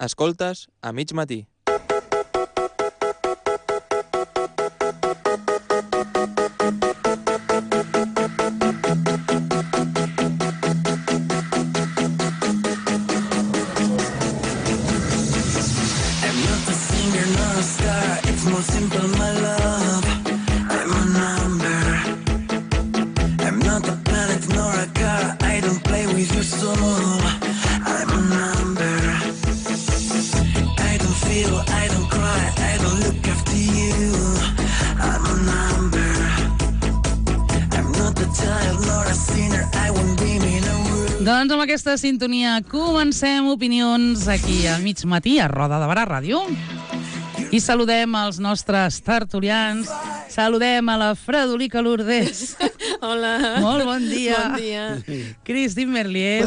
Escoltes a mig matí. Doncs amb aquesta sintonia comencem opinions aquí a mig matí a Roda de Barà Ràdio. I saludem els nostres tertulians. Saludem a la Fredolica Lourdes. Hola. Molt bon dia. Bon dia. Christine Merlier.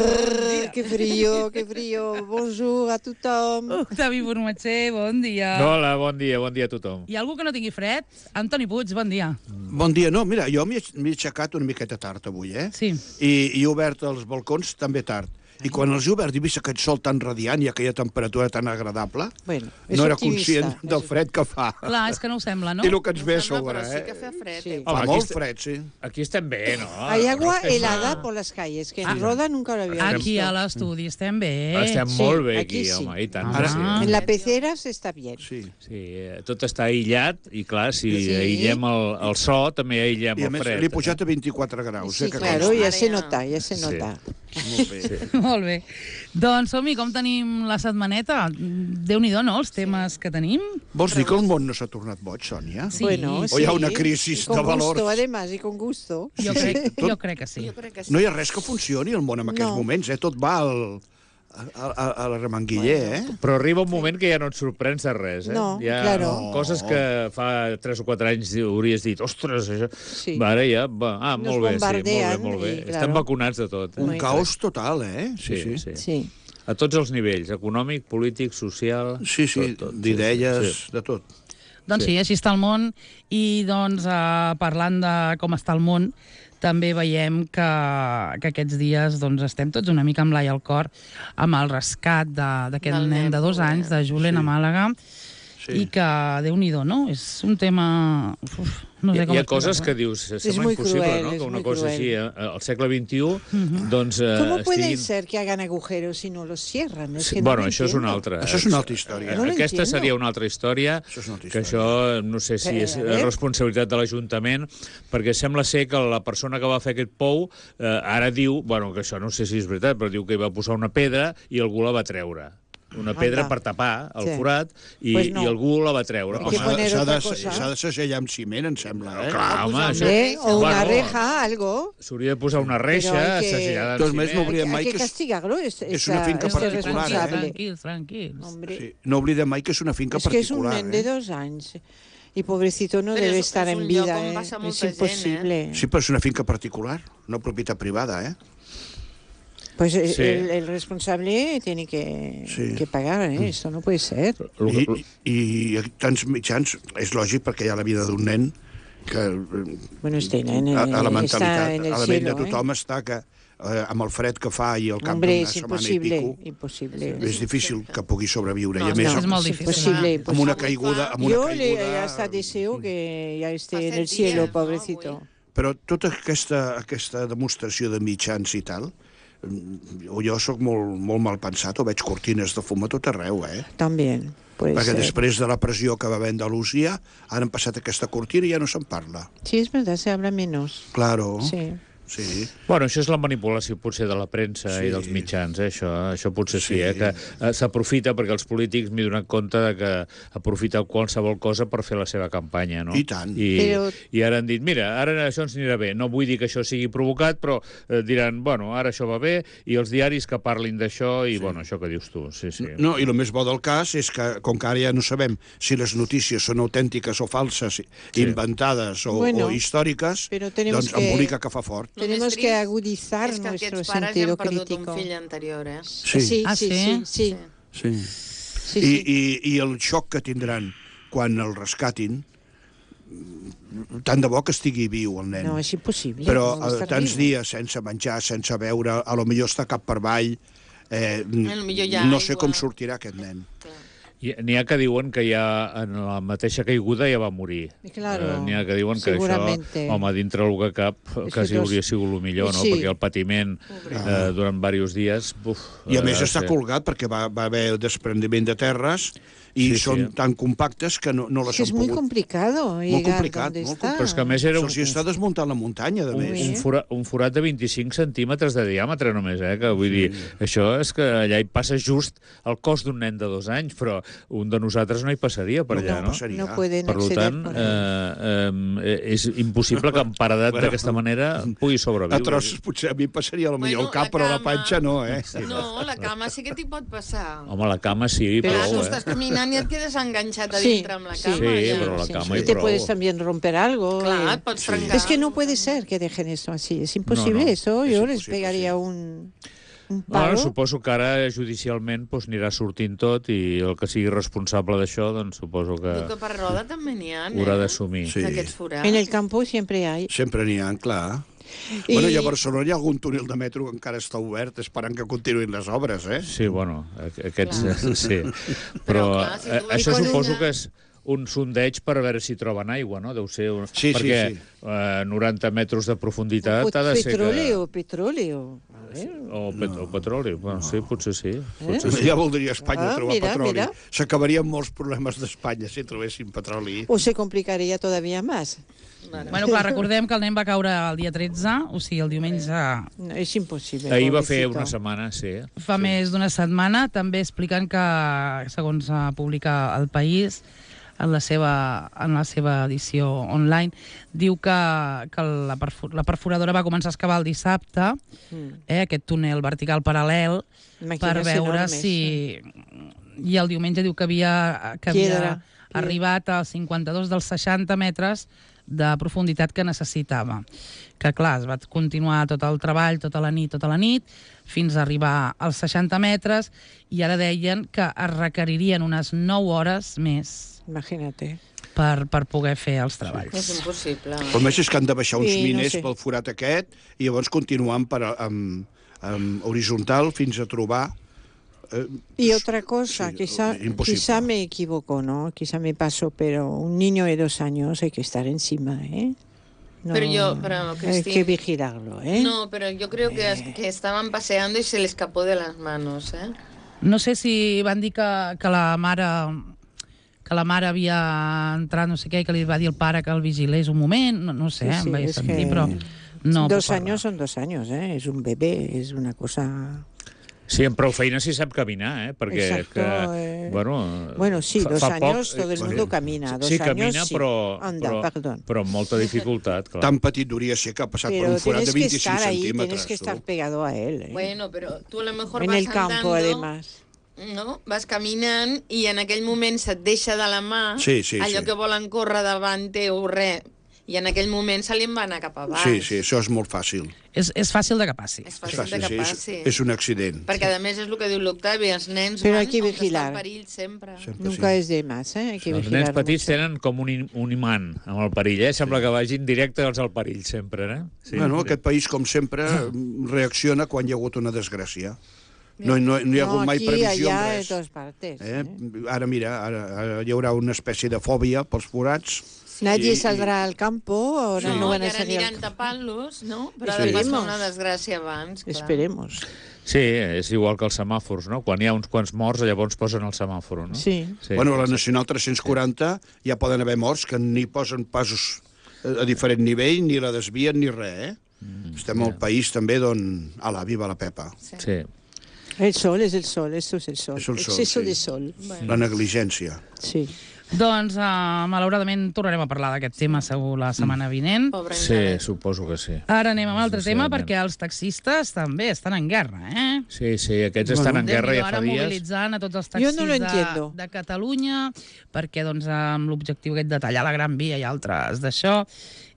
Que frío. Bonjour a tothom. Octavi Formatger, bon dia. Hola, bon dia a tothom. I algú que no tingui fred? Antoni Puig, bon dia. Bon dia. No, mira, jo m'he aixecat una miqueta tard avui, Sí. I he obert els balcons també tard. I quan els he obert i he vist aquest sol tan radiant i aquella temperatura tan agradable, Bueno, no era conscient del fred que fa. Clar, és que no ho sembla, no? I el que ens ve a sobre, Però sí que fa fred. Sí. Fa molt fred, sí. Aquí estem bé, no? Hay agua helada por las calles, que en Roda nunca lo había Aquí visto. a l'estudi estem bé. Estem Sí, molt bé aquí aquí, sí. home, i tant. Ara sí. En la pecera se está bien. Sí. Sí, tot està aïllat i, clar, si Sí. aïllem el so, també aïllem I a el més, fred. l'he pujat a 24 graus. Sí, que claro, consti. ya se nota, ya se nota. Molt bé. Molt bé. Doncs som-hi, com tenim la setmaneta? Déu-n'hi-do, no?, els temes que tenim. Vols dir que el món no s'ha tornat boig, Sònia? Sí. Bueno, O hi ha una crisi y con de valors? gusto, además, y con gusto. Jo crec que sí. No hi ha res que funcioni al món en aquests No. moments, Tot va a la remanguiller, Però arriba un moment que ja no et sorprens de res, No, Hi ha claro. coses que fa 3 o 4 anys hauries dit, ostres, això... Sí. Ara ja, Nos molt bé, sí, bombardean molt bé. i, claro. Estem vacunats de tot. Un caos total, Sí. Sí. A tots els nivells, econòmic, polític, social... Sí, tot, d'idees, de tot. Doncs sí, així està el món. I doncs, parlant de com està el món, també veiem que aquests dies doncs, estem tots una mica amb l'ai al cor amb el rescat d'aquest Del nen de 2 anys, de Julen a Màlaga, Sí. i que, Déu-n'hi-do, no? És un tema... no sé com Hi ha coses que explicar-ho. dius, sembla muy impossible, cruel, no? es Que una muy cosa cruel. així, al segle XXI, doncs ¿Cómo puede estiguin... ser que hagan agujeros si no los cierran? Es que no Bueno, lo això és una entiendo. altra... Això és una altra història. No lo Aquesta entiendo. seria una altra història, Això és una altra que això no sé si Però, és a veure. responsabilitat de l'Ajuntament, perquè sembla ser que la persona que va fer aquest pou ara diu, bueno, que això no sé si és veritat, però diu que hi va posar una pedra i algú la va treure. Una pedra per tapar el Sí. forat i, Pues no. i algú la va treure. Hay que poner S'ha otra de, cosa. s'ha de segellar amb ciment, em sembla, Clar, home, això... Hombre, o una Bueno, reja, algo. S'hauria de posar una reixa Però hay que- assegellada Doncs amb més no ciment. oblidem mai Hay que que és, castigarlo. és una finca este particular, responsable. Tranquils. Hombre, sí, no oblidem mai que és una finca es que es un particular. nen de 2 años. Y pobrecito no Pero debe es estar un en lloc vida, on passa es molta gent, imposible. Sí, però és una finca particular, no propietat privada, Pues Sí. el responsable tiene que pagar, esto no puede ser. I tants mitjans, és lògic perquè hi ha la vida d'un nen que Bueno, este nen a la está mentalitat, en el a la ment de cielo, tothom està que amb el fred que fa i al cap Hombre, d'una es setmana i imposible, pico, imposible. és difícil que pugui sobreviure. No, I a més, és molt difícil. Imposible, amb una caiguda... Amb una Yo caiguda hasta deseo que ya esté en el Hace cielo, días, ¿no? pobrecito. Però tota aquesta demostració de mitjans i tal, jo sóc molt mal pensat, o veig cortines de fum a tot arreu, También, puede Perquè ser. després de la pressió que va haver Andalusia, han passat aquesta cortina i ja no se'n parla. Sí, es verdad, se habla menos. Claro, Sí. sí. Bueno, això és la manipulació potser de la premsa Sí. i dels mitjans, això potser sí, Sí. que s'aprofita perquè els polítics m'he donat compte de que aprofiten qualsevol cosa per fer la seva campanya, no? I tant. I ara han dit, mira, ara això ens anirà bé. No vull dir que això sigui provocat, però diran, bueno, ara això va bé, i els diaris que parlin d'això, i bueno, això que dius tu, sí. No, i el més bo del cas és que, com que ara ja no sabem si les notícies són autèntiques o falses, inventades o històriques, Però tenemos doncs embolica que fa fort. Tenemos que agudizar és que nuestro aquests pares ja sentido han perdut crítico. un fill anterior, Sí, Ah, sí, sí? sí, sí. Sí. I el xoc que tindran quan el rescatin, tant de bo que estigui viu el nen. No, és impossible. Però no estar tants vivo. dies sense menjar, sense beure, a lo millor està cap per avall, Millor hi ha no sé aigua. com sortirà aquest nen. N'hi ha que diuen que ja en la mateixa caiguda ja va morir. Claro, N'hi ha que diuen que seguramente. això, home, dintre el que cap, quasi hauria sigut el millor, no? Sí. Perquè el patiment durant diversos dies... I a més està colgat perquè va haver desprendiment de terres i són tan compactes que no les Es han muy pogut... complicado Molt llegar complicat, donde molt está. Però és que a més era Se'ls hi està desmuntant la muntanya, de més. un forat de 25 centímetres de diàmetre només, que vull dir, això és que allà hi passa just el cos d'un nen de 2 anys, però un de nosaltres no hi passaria per allà, no? passaria. No pueden Per acceder tant, con él. és impossible que en paredat d'aquesta manera pugui sobreviure. A trossos potser a mi passaria millor el cap, però la panxa no, eh? No, la cama sí que t'hi pot passar. Home, la cama sí, Clar, prou, tu estàs caminant i et quedes enganxat a Sí, dintre amb la sí. cama. Sí, ja. però la cama Y i te prou. puedes también romper algo. Clar, et pots trencar. Es que no puede ser que dejen esto así. Es imposible No, no, eso. es Yo les imposible, pegaría sí. un Bueno, palo. suposo que ara judicialment anirà sortint tot i el que sigui responsable d'això, doncs suposo que Diu que per roda també n'hi ha, haurà d'assumir. Sí. d'aquests forats. En el campo siempre hay. Sempre n'hi ha, clar. I- Bueno, i a Barcelona hi ha algun túnel de metro que encara està obert esperant que continuïn les obres, eh? Sí, bueno, aquests... Clar. Sí. Però, Però clar, si tu això quan suposo una- que és un sondeig per a veure si troben aigua, no? Deu ser... Sí, perquè sí. 90 metres de profunditat ha de ser Petróleo, que... petróleo. A ver. O petroli, bueno, sí, potser sí. Potser sí. Ja voldria Espanya Ah, trobar mira, petroli. mira. S'acabarien molts problemes d'Espanya si trobessin petroli. O se complicaría todavía más. Bueno, clar, recordem que el nen va caure el dia 13, o sigui, el diumenge No, es imposible. Ahir va fer pobrecito. una setmana, sí. fa més d'una setmana, també explicant que, segons publica El País, en la seva edició online, diu que la perforadora va començar a excavar el dissabte, aquest túnel vertical paral·lel, per Máquinas veure enormes, si... I el diumenge diu que havia Piedra. arribat als 52 dels 60 metres de profunditat que necessitava. Que, clar, es va continuar tot el treball, tota la nit, fins a arribar als 60 metres, i ara deien que es requeririen unes 9 hores més Imagínate. per poder fer els treballs. És impossible. Però a més és que han de baixar uns Sí, no miners sé. pel forat aquest i llavors continuant amb horitzontal fins a trobar... Y otra cosa, sí, quizá imposible. me equivoco, ¿no? Quizá me paso, pero un niño de 2 años hay que estar encima, ¿eh? No, Pero, hay Cristina, que vigilarlo, ¿eh? No, pero yo creo que estaban paseando y se le escapó de las manos, ¿eh? No sé si van dir que la mare havia entrat, no sé què, i que li va dir al pare que el vigilés un moment, no sé, Sí, sí, em vaig és sentir, que però no. 2 años son 2 años, ¿eh? Es un bebé, es una cosa... Sí, amb prou feina sí sap caminar, perquè... Exacto, Bueno, sí, 2 años todo el mundo camina. 2 sí, años camina, sí. però, Anda, perdón. però amb molta dificultat, clar. Tan petit hauria ser que ha passat per Pero un forat de tienes que 25 estar ahí, centímetres. tienes que estar tu. pegado a él, ¿eh? Bueno, pero tú a lo mejor En vas el campo, andando, además. no? Vas caminant i en aquell moment se't deixa de la mà Sí, sí, allò sí. que volen córrer davant teu, res. I en aquell moment se li en va anar cap a baix. Sí, sí, això és molt fàcil. És fàcil de que passi. És fàcil de que sí, passi. és un accident. Perquè, a més, és el que diu l'Octavi, els nens Però van hay que on està vigilar. el perill sempre. Sempre Nunca sí. es de más, ¿eh? Hay que Els vigilar nens petits mucho. tenen com un imant amb el perill, Sembla que vagin directes al perill sempre, eh? Sí. Bueno, aquest país, com sempre, reacciona quan hi ha hagut una desgràcia. No hi ha hagut mai aquí, previsió en allá, en res. todas partes. Ara, mira, ara hi haurà una espècie de fòbia pels forats. Nadie I- saldrà al campo, ahora No, no, van i a ara salir aniran al campo. tapant-los, no? Però Sí. ha de passar Esperemos. una desgràcia abans. Clar. Esperemos. Sí, és igual que els semàfors, no? Quan hi ha uns quants morts, llavors posen el semàfor, no? Sí. Bueno, a la Nacional 340 ja poden haver morts que ni posen passos a diferent nivell, ni la desvien, ni res, eh? Estem al país també d'on... Ala, viva la Pepa. Sí. El sol es el sol, esto es el sol. És el sol, Exceso sí. de sol. La negligència. Sí. Doncs, malauradament, tornarem a parlar d'aquest tema segur la setmana vinent. Pobre Sí, Incalet. suposo que sí. Ara anem a un altre tema, Sincerament. perquè els taxistes també estan en guerra, eh? Sí, sí, aquests estan en guerra ja fa Ara dies. mobilitzant a tots els Jo taxis no lo entiendo. de Catalunya, perquè doncs, amb l'objectiu aquest de tallar la Gran Via i altres d'això,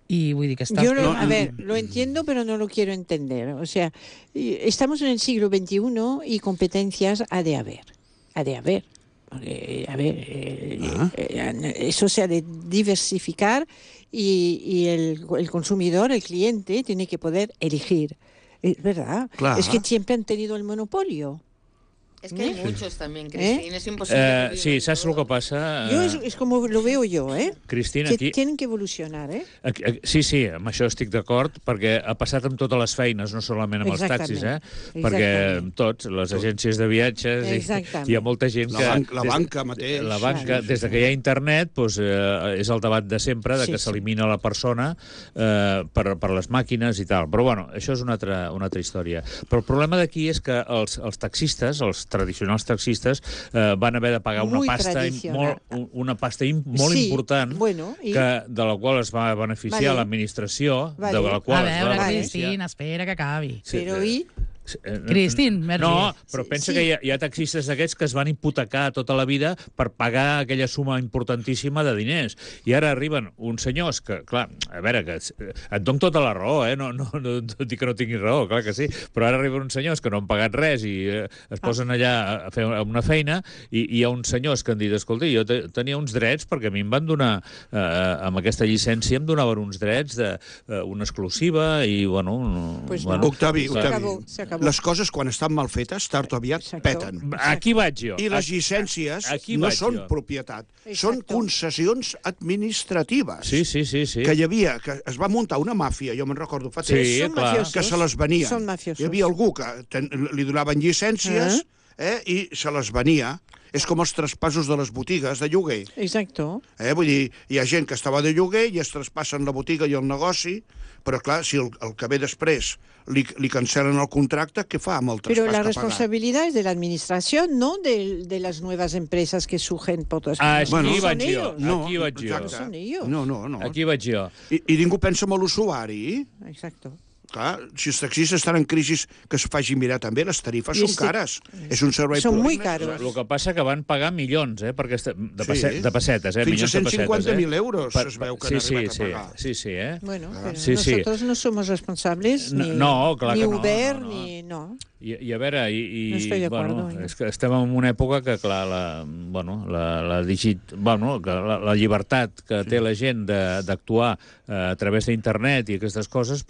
i vull dir que està... Yo, a ver, lo entiendo, pero no lo quiero entender. O sea, estamos en el siglo XXI y competencias ha de haber. Ha de haber. Porque, a ver, eso se ha de diversificar y el consumidor, el cliente, tiene que poder elegir. Es verdad. Claro. Es que siempre han tenido el monopolio. Es que hay muchos también, Cristina, es imposible. que Sí, vivan saps el que todos. passa? Yo es como lo veo yo, ¿eh? Cristina, Que aquí... tienen que evolucionar, ¿eh? Sí, amb això estic d'acord, perquè ha passat amb totes les feines, no solament amb els taxis, perquè Exactament. tots, les agències de viatges, Exactament. hi ha molta gent que... La banca mateix. La banca, des de que hi ha internet, doncs, és el debat de sempre, de que s'elimina la persona per les màquines i tal. Però, bueno, això és una altra història. Però el problema d'aquí és que els taxistes, els tradicionals taxistes, van haver de pagar una pasta molt important, de la qual es va beneficiar l'administració, de la qual es va beneficiar... A veure, Cristina, espera que acabi. Però i... Cristín, no, però pensa que hi ha taxistes d'aquests que es van hipotecar tota la vida per pagar aquella suma importantíssima de diners. I ara arriben uns senyors que, clar, a veure, que et dono tota la raó, no dic que no tinguis raó, clar que sí, però ara arriben uns senyors que no han pagat res i es posen allà a fer una feina i hi ha uns senyors que han dit, escolta, jo tenia uns drets perquè a mi em van donar, amb aquesta llicència em donaven uns drets, una exclusiva i, bueno... Octavi, les coses, quan estan mal fetes, tard o aviat peten. Aquí vaig jo. I les llicències no són propietat, són concessions administratives. Sí. Que hi havia, que es va muntar una màfia, jo me'n recordo fa temps, que se les venia. Hi havia algú que li donaven llicències i se les venia. És com els traspassos de les botigues de lloguer. Exacto. Vull dir, hi ha gent que estava de lloguer i es traspassen la botiga i el negoci, però clar, si el que ve després li cancelen el contracte, què fa amb el traspàs Pero la que ha pagat? responsabilidad es de la administración, no de las nuevas empresas que surgen por todas partes. Aquí vaig ellos. jo. Aquí vaig jo. No son ellos. No. Aquí vaig jo. I ningú pensa en l'usuari. Exacto. Clar, si els taxistes estan en crisi, que es faci mirar també, les tarifes són cares. És un servei Són públic. muy caros. El que passa que van pagar milions, perquè de pessetes, Fins a milions de pessetes. 150.000 euros es veu que han arribat a pagar. Sí. Bueno, pero nosotros no somos responsables, ni Uber, ni... No. I a veure, no estoy de acuerdo. És que estem en una època que, clar, la llibertat que té la gent d'actuar a través d'internet i aquestes coses,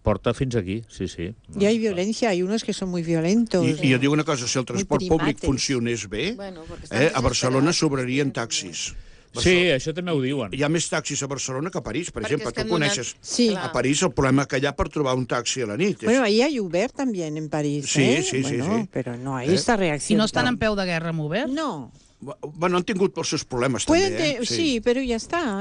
porta fins aquí, sí. Y hay violencia, hay unos que son muy violentos. I jo dic una cosa, si el transport públic funcionés bé, a Barcelona sobrarien taxis. Sí, això també ho diuen. Hi ha més taxis a Barcelona que a París, per exemple. Tu coneixes a París el problema que hi ha per trobar un taxi a la nit. Bueno, ahí hay Uber también en París. Sí. Pero no hay esta reacción. ¿Y no están en peu de guerra amb Uber? No. Bueno, han tingut els seus problemes, també. Sí, pero ya está.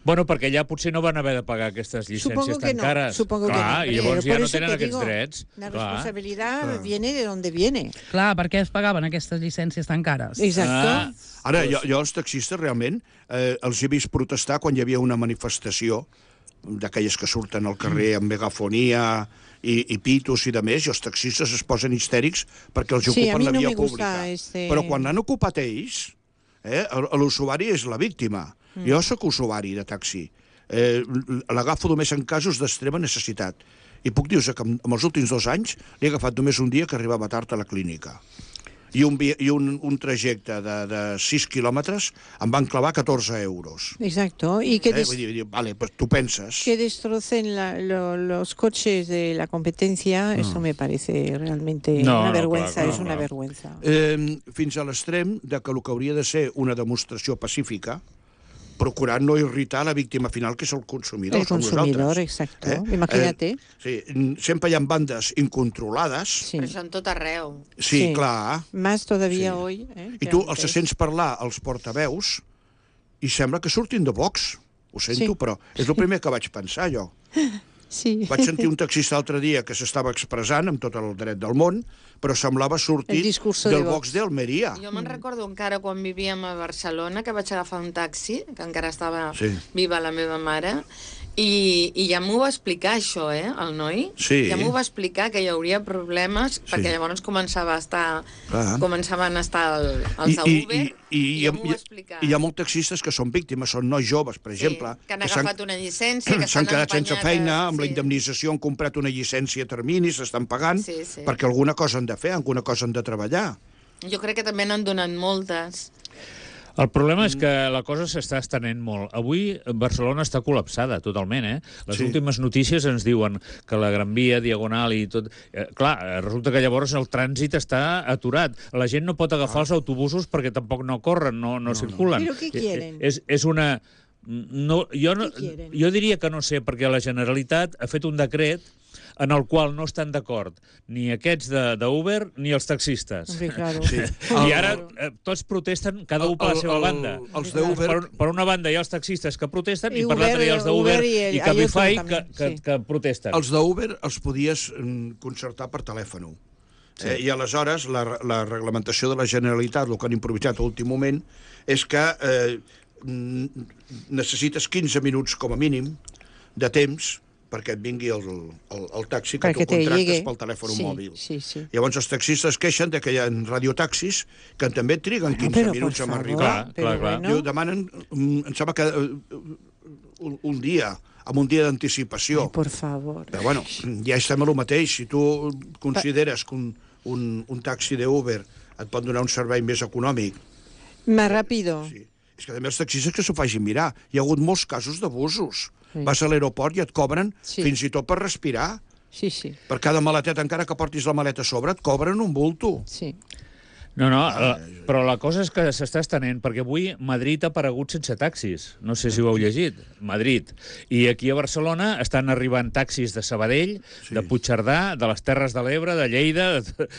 Bueno, perquè allà potser no van haver de pagar aquestes llicències tan cares. Supongo que no. I llavors ja no tenen aquests drets. La responsabilidad viene de donde viene. Clar, per què es pagaven aquestes llicències tan cares? Exacto. Ara, jo els taxistes realment els he vist protestar quan hi havia una manifestació d'aquelles que surten al carrer amb megafonia i pitos i de més, i els taxistes es posen histèrics perquè els ocupen la via pública. Però quan l'han ocupat ells, l'usuari és la víctima. Jo sóc usuari de taxi. L'agafo només en casos d'extrema necessitat. I puc dir-vos que en els últims 2 anys l'he agafat només un dia que arribava tard a la clínica. I un trajecte de 6 quilòmetres em van clavar 14 euros. Exacto. Y que vale, pues tú pensas. Que destrocen los coches de la competencia, eso me parece realmente una vergüenza, es una vergüenza. Fins a l'extrem de que el que hauria de ser una demostració pacífica, procurant no irritar la víctima final, que és el consumidor. El consumidor, exacto. Imagínate. Sí, sempre hi ha bandes incontrolades. Sí. Però són tot arreu. Sí, clar. Más todavía hoy. I tu els sents parlar als portaveus i sembla que surtin de Vox. Ho sento, però és el primer que vaig pensar, jo. Sí. Vaig sentir un taxista l'altre dia que s'estava expressant amb tot el dret del món, però semblava sortir del Vox d'Almeria. Jo me'n recordo encara quan vivíem a Barcelona, que vaig agafar un taxi, que encara estava viva la meva mare, i ja m'ho va explicar, això, el noi. Sí. Ja m'ho va explicar, que hi hauria problemes, perquè llavors començaven a estar els Uber, i ja m'ho va explicar. I hi ha molts taxistes que són víctimes, són nois joves, per exemple. Que han agafat una llicència, que s'han quedat sense feina, amb la indemnització han comprat una llicència a termini, s'estan pagant, perquè alguna cosa han de fer, alguna cosa han de treballar. Jo crec que també n'han donat moltes. El problema és que la cosa s'està estenent molt. Avui Barcelona està col·lapsada totalment, Les últimes notícies ens diuen que la Gran Via, Diagonal i tot... Clar, resulta que llavors el trànsit està aturat. La gent no pot agafar els autobusos perquè tampoc no corren, no circulen. Però què quieren? És una... Jo diria que no sé, perquè la Generalitat ha fet un decret en el qual no estan d'acord ni aquests d'Uber ni els taxistes. Hombre, claro. Sí. I ara tots protesten, cada un per la seva banda. Els d'Uber... Per una banda hi ha els taxistes que protesten I i per l'altra hi ha els d'Uber i Cabify Cabify també, que protesten. Els d'Uber els podies concertar per telèfon. Sí. I aleshores la reglamentació de la Generalitat, el que han improvisat a l'últim moment, és que necessites 15 minuts com a mínim de temps perquè et vingui el taxi que tu contractes pel telèfon mòbil. Sí. Llavors els taxistes queixen que hi ha radiotaxis que també triguen 15 minuts a arribar. Clar. Diu, demanen, em sembla que un dia, amb un dia d'anticipació. Por favor. Però bueno, ja estem a lo mateix. Si tu consideres que un taxi d'Uber et pot donar un servei més econòmic... Más rápido. Sí. És que també els taxistes que s'ho facin mirar. Hi ha hagut molts casos d'abusos. Vas a l'aeroport i et cobren fins i tot per respirar. Sí. Per cada maleteta, encara que portis la maleta a sobre, et cobren un bulto. Sí. No, però la cosa és que s'està estenent, perquè avui Madrid ha aparegut sense taxis. No sé si ho heu llegit. Madrid. I aquí a Barcelona estan arribant taxis de Sabadell, de Puigcerdà, de les Terres de l'Ebre, de Lleida...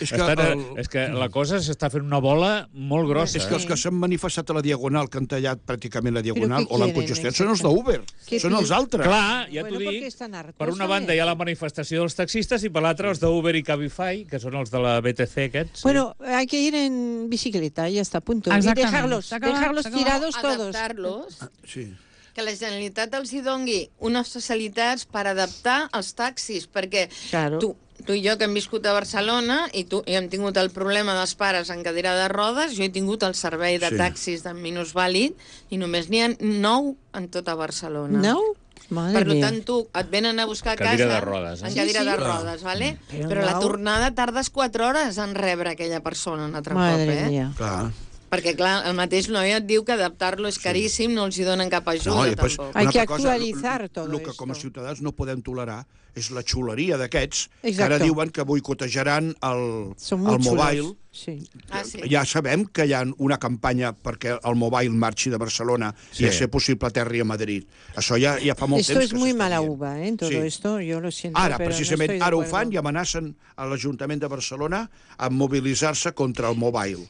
És que la cosa s'està fent una bola molt grossa. És que els que s'han manifestat a la Diagonal, que han tallat pràcticament la Diagonal, o l'han congestionat, són els d'Uber. Són els altres. Clar, ja t'ho dic. Per una banda hi ha la manifestació dels taxistes i per l'altra els d'Uber i Cabify, que són els de la BTC aquests. Bueno, hay que ir en bicicleta, ya está, punto. Exactament. Y dejarlos tirados todos. Adaptar-los. Sí. Que la Generalitat els hi dongui unes facilitats per adaptar els taxis, perquè Claro. tu i jo que hem viscut a Barcelona i hem tingut el problema dels pares en cadira de rodes, jo he tingut el servei de taxis de minusvàlid i només n'hi ha 9 en tota Barcelona. ¿No? Madre Per mía. tant, tu et venen a buscar a casa... Cadira de rodes, En cadira de rodes, ¿vale? Però la tornada tardes 4 hores en rebre aquella persona un altre Madre cop, mía. Clar. Perquè, clar, el mateix noi et diu que adaptar-lo és caríssim, no els hi donen cap ajuda, tampoc. Hay que actualizar todo El que com a esto. ciutadans no podem tolerar és la xuleria d'aquests que Exacto. ara diuen que boicotejaran Son el muy mobile. chulos. Sí. Ah, sí. Ja sabem que hi ha una campanya perquè el mobile marxi de Barcelona i a ser possible aterri a Madrid. Això ja fa molt Esto temps es que muy s'està mala dient. uva, ¿eh? Todo esto, yo lo siento, Ara, pero precisament, no estoy de ara ho acuerdo. fan i amenacen a l'Ajuntament de Barcelona a mobilitzar-se contra el mobile.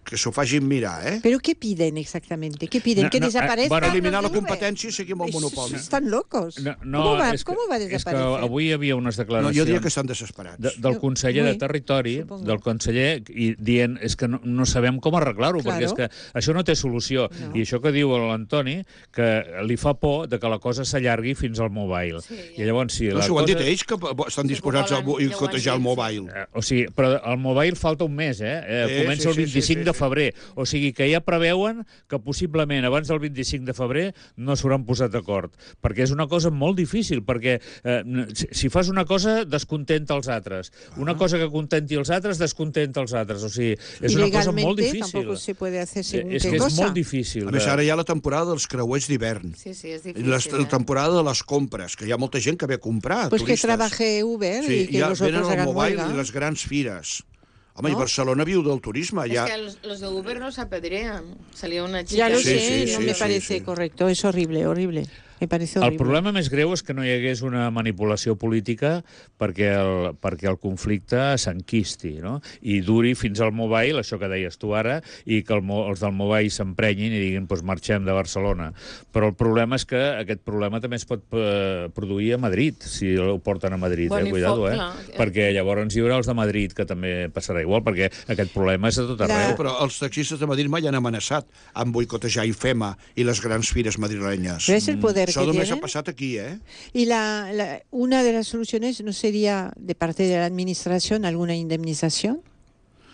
Que s'ho facin mirar, ¿eh? ¿Pero qué piden exactamente? ¿Qué piden? ¿Que desaparezcan? bueno, eliminar la los de Uber? competencia y seguir amb el monopoli. Están locos. No, ¿Cómo va a és que desaparecer? avui hi havia unes No, declaracions... jo diria que estan desesperats. Del conseller de Muy, Territori, supongo. del conseller, i dient és que no sabem com arreglar-ho, Claro. perquè és que això no té solució. No. I això que diu l'Antoni, que li fa por de que la cosa s'allargui fins al mobile. Sí, I llavors, si No, la si ho han dit cosa... ells, que estan disposats a boicotejar el mobile. O sigui, però el mobile falta un mes, comença el 25 de febrer. O sigui que ja preveuen que possiblement abans del 25 de febrer no s'hauran posat d'acord. Perquè és una cosa molt difícil, perquè si fas una cosa, descontenta els altres. Una cosa que contenti els altres, descontenta els altres. O sigui, és una cosa molt difícil. Tampoco se puede hacer según És qué que és cosa. molt difícil. A més, ara hi ha la temporada dels creuers d'hivern. Sí, és I difícil. la temporada de les compres, que hi ha molta gent que ve a comprar, Pues que turistes. trabaje Uber Sí, y que ja los venen otros al hagan mobile huelga. i les grans fires. Home, ¿No? i Barcelona viu del turisme. Es Ja... que los de Uber los apedrean. Salió una chica... Ya lo Sí, sé, sí, no sí, me sí, parece sí. correcto, es horrible, horrible. Me parece horrible. El problema més greu és que no hi hagués una manipulació política perquè el conflicte s'enquisti, no? I duri fins al mobile, això que deies tu ara, i que els del mobile s'emprenyin i diguin doncs marxem de Barcelona. Però el problema és que aquest problema també es pot produir a Madrid, si ho porten a Madrid, cuidado, clar. Perquè llavors hi haurà els de Madrid, que també passarà igual, perquè aquest problema és a tot arreu. Però els taxistes de Madrid mai han amenaçat amb boicotejar IFEMA i les grans fires madrilenyes. Pero es el poder Això que només ha tienen. passat aquí, ¿eh? Y una de las soluciones no sería de parte de la administración alguna indemnización.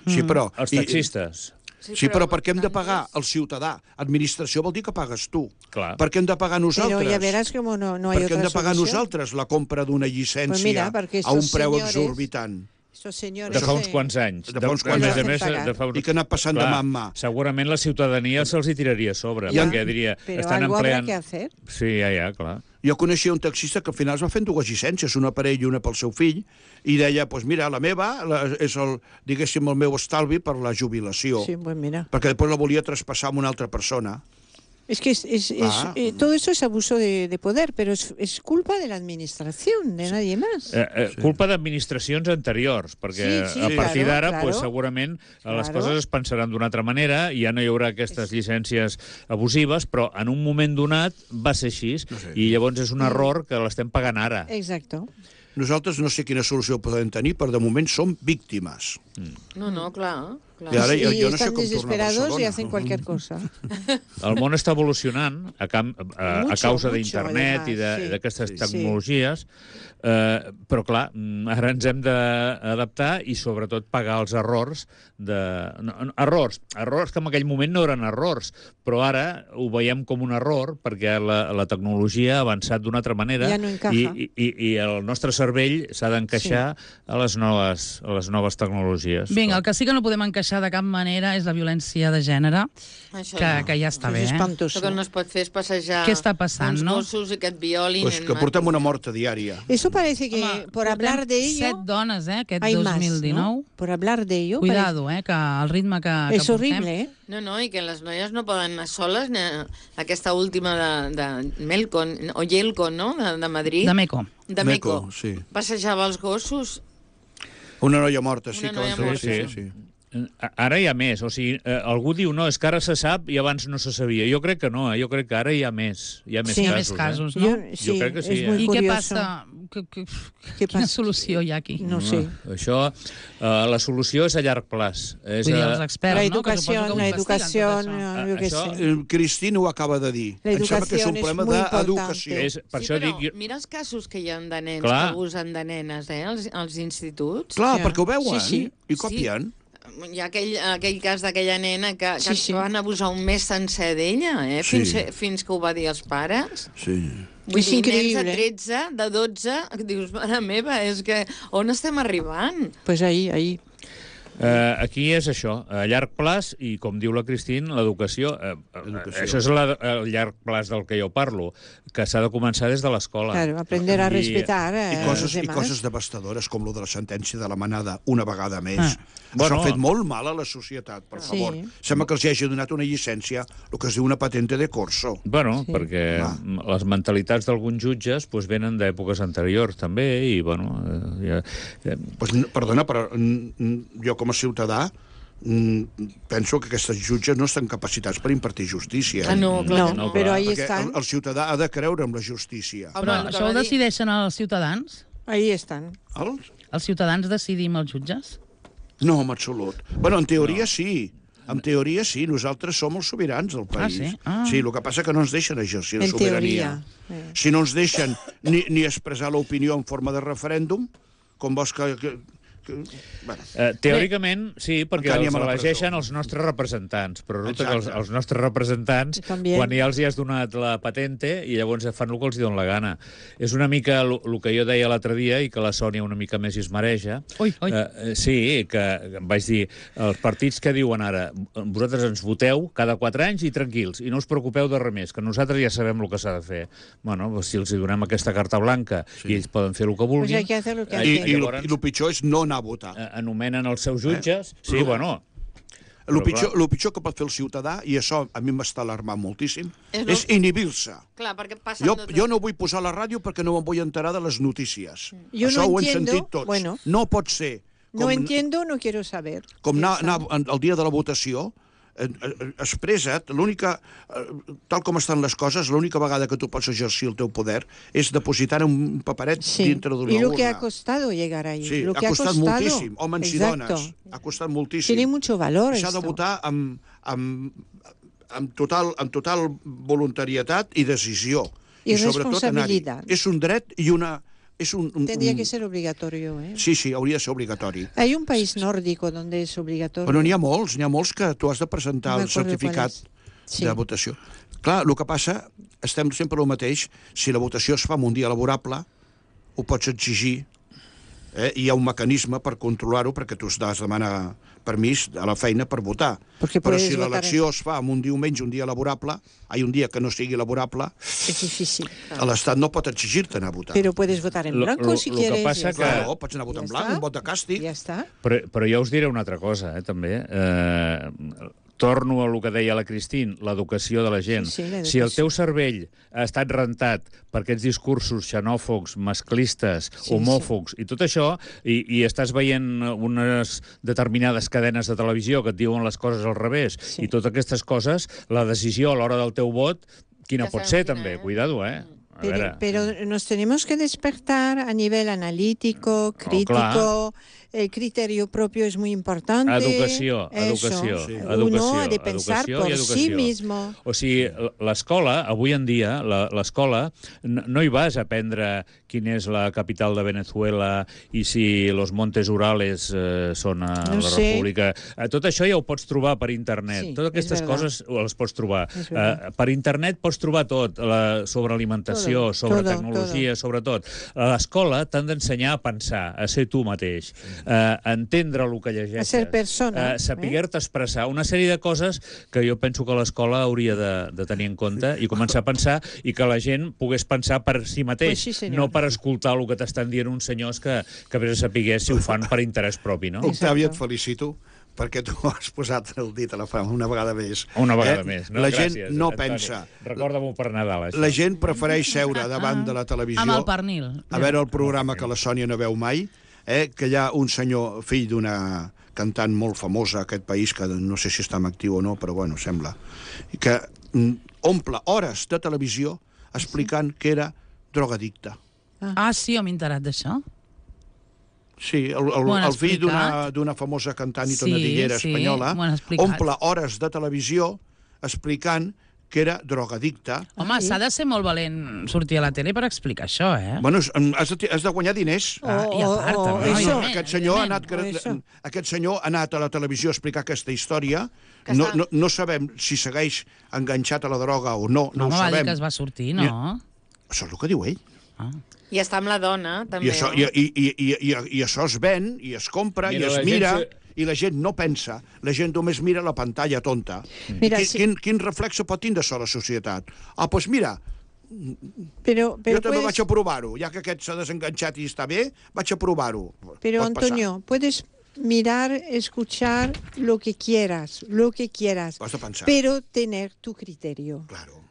Sí, però... Els taxistes. Sí, però per què hem de pagar el ciutadà? Administració vol dir que pagues tu. Clar. Per què hem de pagar nosaltres? Pero ya verás como no hay Per què otra hem de pagar solución. nosaltres la compra d'una llicència Pues mira, perquè a un estos preu señores- exorbitant? Estos señores... De fa uns quants anys. De fa uns quants A més a anys. més, de fa... I que ha anat passant de mà en mà. Segurament la ciutadania se'ls hi tiraria a sobre, perquè diria... Però estan algo habrá empleant... que hacer. Sí, ja, clar. Jo coneixia un taxista que al final es va fent dues llicències, una per ell i una pel seu fill, i deia, doncs mira, la meva és diguéssim, el meu estalvi per la jubilació, Sí, pues mira. perquè després la volia traspassar a una altra persona. Es que todo eso es abuso de poder, pero es culpa de la administración, de nadie más. Culpa d'administracions anteriors, perquè Sí, a partir claro, d'ara claro. pues, segurament les Claro. coses es pensaran d'una altra manera i ja no hi haurà aquestes llicències abusives, però en un moment donat va ser així, i llavors és un error que l'estem pagant ara. Exacto. Nosaltres no sé quina solució podem tenir, però de moment som víctimes. No, clar. I ara Y jo no sé están com tornar a desesperados y Barcelona. hacen cualquier cosa. El món està evolucionant a causa Mucho, d'internet i además, sí. d'aquestes Sí. tecnologies, però clar, ara ens hem d'adaptar i sobretot pagar els errors errors que en aquell moment no eren errors, però ara ho veiem com un error perquè la tecnologia ha avançat d'una altra manera Ja no encaja. i el nostre cervell s'ha d'encaixar a les noves tecnologies. Vinga, el que sí que no podem encaixar de cap manera és la violència de gènere, Això que ja està bé, Es eh? espantoso. El que no es pot fer és passejar Què està passant, uns no? gossos i que et violin. Pues que portem una mort diària. Eso parece que, Home, por hablar de ello, 7 dones, aquest hay más, 2019. ¿no? Por hablar de ello, Cuidado, que el ritme que es portem... horrible, ¿eh? No, i que les noies no poden anar soles. Aquesta última de Melcon, o Yelcon, no?, de Madrid. De Meco. De Meco. Sí. Passejava els gossos. Una noia morta, sí, Una que van noia trobar. morta. Sí. Ara hi ha més, o sigui, algú diu no, és que ara se sap i abans no se sabia. Jo crec que no, jo crec que ara hi ha més Sí, hi ha més casos, no? Sí, crec que sí, es muy I què curioso. passa? ¿Qué Quina passa? solució hi ha aquí? No sé. Això, la solució és a llarg plaç. És Vull dir, els experts, La no? Que suposo educación, que ho la investiguen, tot educación, això. yo qué Això- sé. Cristina ho acaba de dir. La Em sembla que és un educación es problema muy d'educació. importante. Per Sí, això però dic... mira els casos que hi ha de nens Clar. que abusen de nenes, als instituts. Clar, Ja. perquè ho veuen Sí, sí. i copien. Hi ha aquell cas d'aquella nena que Sí. van abusar un mes sencer d'ella, Sí. fins que ho va dir als pares. Sí. Vull És dir, increïble. nens de 13, de 12, que dius, mare meva, és que on estem arribant? Pues ahí. Aquí és això, a llarg plaç, i com diu la Cristín, l'educació. Això és el llarg plaç del que jo parlo, que s'ha de començar des de l'escola. Claro, aprender a respetar I a los coses demás. devastadores com lo de la sentència de la manada una vegada més. Ah. Això Bueno. ha fet molt mal a la societat, per Sí. favor. Sembla que els hagi donat una llicència, el que es diu una patente de corso. Bueno, Sí. perquè les mentalitats d'alguns jutges pues, venen d'èpoques anteriors, també, i, bueno... Pues, perdona, però jo com a ciutadà penso que aquestes jutges no estan capacitats per impartir justícia. Ah, no, clar que No, no. pero ahí Perquè están. el ciutadà ha de creure en la justícia. Home, Però el que això ho va dir- decideixen els ciutadans? Ahí están. Els ciutadans decidim els jutges? No, en absolut. Bueno, en teoria sí. En teoria sí, nosaltres som els sobirans del país. sí? Ah. Sí, el que passa que no ens deixen exercir la En sobirania. teoria. Si no ens deixen ni expressar l'opinió en forma de referèndum, com vols que bueno, Teòricament, sí, perquè Encara els anem a la elegeixen presó. els nostres representants, però resulta que Exacte. els nostres representants, També. quan ja els hi has donat la patente, i llavors fan el que els hi donen la gana. És una mica el que jo deia l'altre dia, i que la Sònia una mica més hi es mareja. Ui. Sí, que em vaig dir, els partits que diuen ara, vosaltres ens voteu cada 4 anys i tranquils, i no us preocupeu de res més, que nosaltres ja sabem el que s'ha de fer. Bueno, doncs si els hi donem aquesta carta blanca i ells poden fer el que Pues vulguin... hay que hacer lo que I, hay que i el pitjor és no anar a votar. anomenen els seus jutges. Sí, bueno... El Però, pitjor que pot fer el ciutadà, i això a mi m'està alarmant moltíssim, És és inhibir-se. Clar, perquè passen Jo no vull posar la ràdio perquè no me'n vull enterar de les notícies. Jo Això no ho hem entiendo, sentit tots. bueno. No pot ser. No entiendo, no quiero saber. Com anar el dia de la votació, expressa't, tal com estan les coses, l'única vegada que tu pots exercir el teu poder és depositar un paperet Sí. dintre d'una Y urna. lo que ha costado llegar ahí. Sí, lo que ha costat costado. moltíssim, homes i dones. Ha costat moltíssim. Tiene mucho valor S'ha de esto. votar amb total voluntarietat i decisió. I sobretot anar-hi. responsabilitat. És un dret i una... És Tendría que ser obligatorio, ¿eh? Sí, hauria de ser obligatori. Hay un país nórdico donde es obligatorio. Però n'hi ha molts que tu has de presentar No el m'acordo certificat qual és. Sí. de votació. Clar, el que passa, estem sempre el mateix, si la votació es fa en un dia laborable, ho pots exigir Hi ha un mecanisme per controlar-ho, perquè tu has de demanar permís a la feina per votar. Però si l'elecció es fa en un diumenge, un dia laborable, un dia que no sigui laborable, Es difícil. l'Estat no pot exigir-te anar a votar. Pero puedes votar en blanco si quieres. que passa ya que... está. Claro, pots anar a votar en Ja blanc, està. un vot de càstig. Ja està. Però jo us diré una altra cosa, també. Torno a el que deia la Cristín, l'educació de la gent. Sí, l'educació. Si el teu cervell ha estat rentat per aquests discursos xenòfobs, masclistes, homòfobs i tot això, i estàs veient unes determinades cadenes de televisió que et diuen les coses al revés, i totes aquestes coses, la decisió a l'hora del teu vot, quina Ja pot sabem ser, quina, també? eh? Cuidado, eh? A veure. Pero nos tenemos que despertar a nivel analítico, crítico. El criterio propio es muy importante. Educació. Uno ha de pensar por sí mismo. O sigui, l'escola, avui en dia, l'escola, no hi vas a aprendre quina és la capital de Venezuela i si los Montes Urales són a la República. Tot això ja ho pots trobar per internet. Sí, Totes aquestes coses les pots trobar. Per internet pots trobar tot, sobre alimentació, sobre tecnologia, sobre tot. A l'escola t'han d'ensenyar a pensar, a ser tu mateix, a entendre el que llegeixes, a ser persona, saber-te expressar, una sèrie de coses que jo penso que l'escola hauria de tenir en compte i començar a pensar, i que la gent pogués pensar per si mateix, no per escoltar el que t'estan dient uns senyors que vés a saber si ho fan per interès propi, no? Octavi, et felicito, perquè tu has posat el dit a la fama una vegada més. Una vegada més, no? La Gràcies, gent no Antoni. pensa. Recorda-m'ho per Nadal, això. La gent prefereix seure davant de la televisió Amb el pernil. a veure el programa que la Sònia no veu mai, que hi ha un senyor, fill d'una cantant molt famosa a aquest país, que no sé si està en actiu o no, però bueno, sembla, que omple hores de televisió explicant que era drogadicte. Ah, sí, m'he enterat d'això. Sí, el fill d'una famosa cantant i tonadillera espanyola omple hores de televisió explicant que era drogadicte. Home, s'ha de ser molt valent sortir a la tele per explicar això, eh? Bueno, has de guanyar diners. I a part, també. Aquest senyor ha anat a la televisió a explicar aquesta història. No sabem si segueix enganxat a la droga o no, no ho va dir sabem. que es va sortir, no? Això és el que diu ell. I està amb la dona, també. I això es ven, i es compra, i es mira, i la gent no pensa. La gent només mira la pantalla tonta. Quin reflex pot tindre això a la societat? Doncs mira, jo també vaig a provar-ho. Ja que aquest s'ha desenganxat i està bé, vaig a provar-ho. Pero, Antonio, puedes mirar, escuchar lo que quieras, pero tener tu criterio. Claro.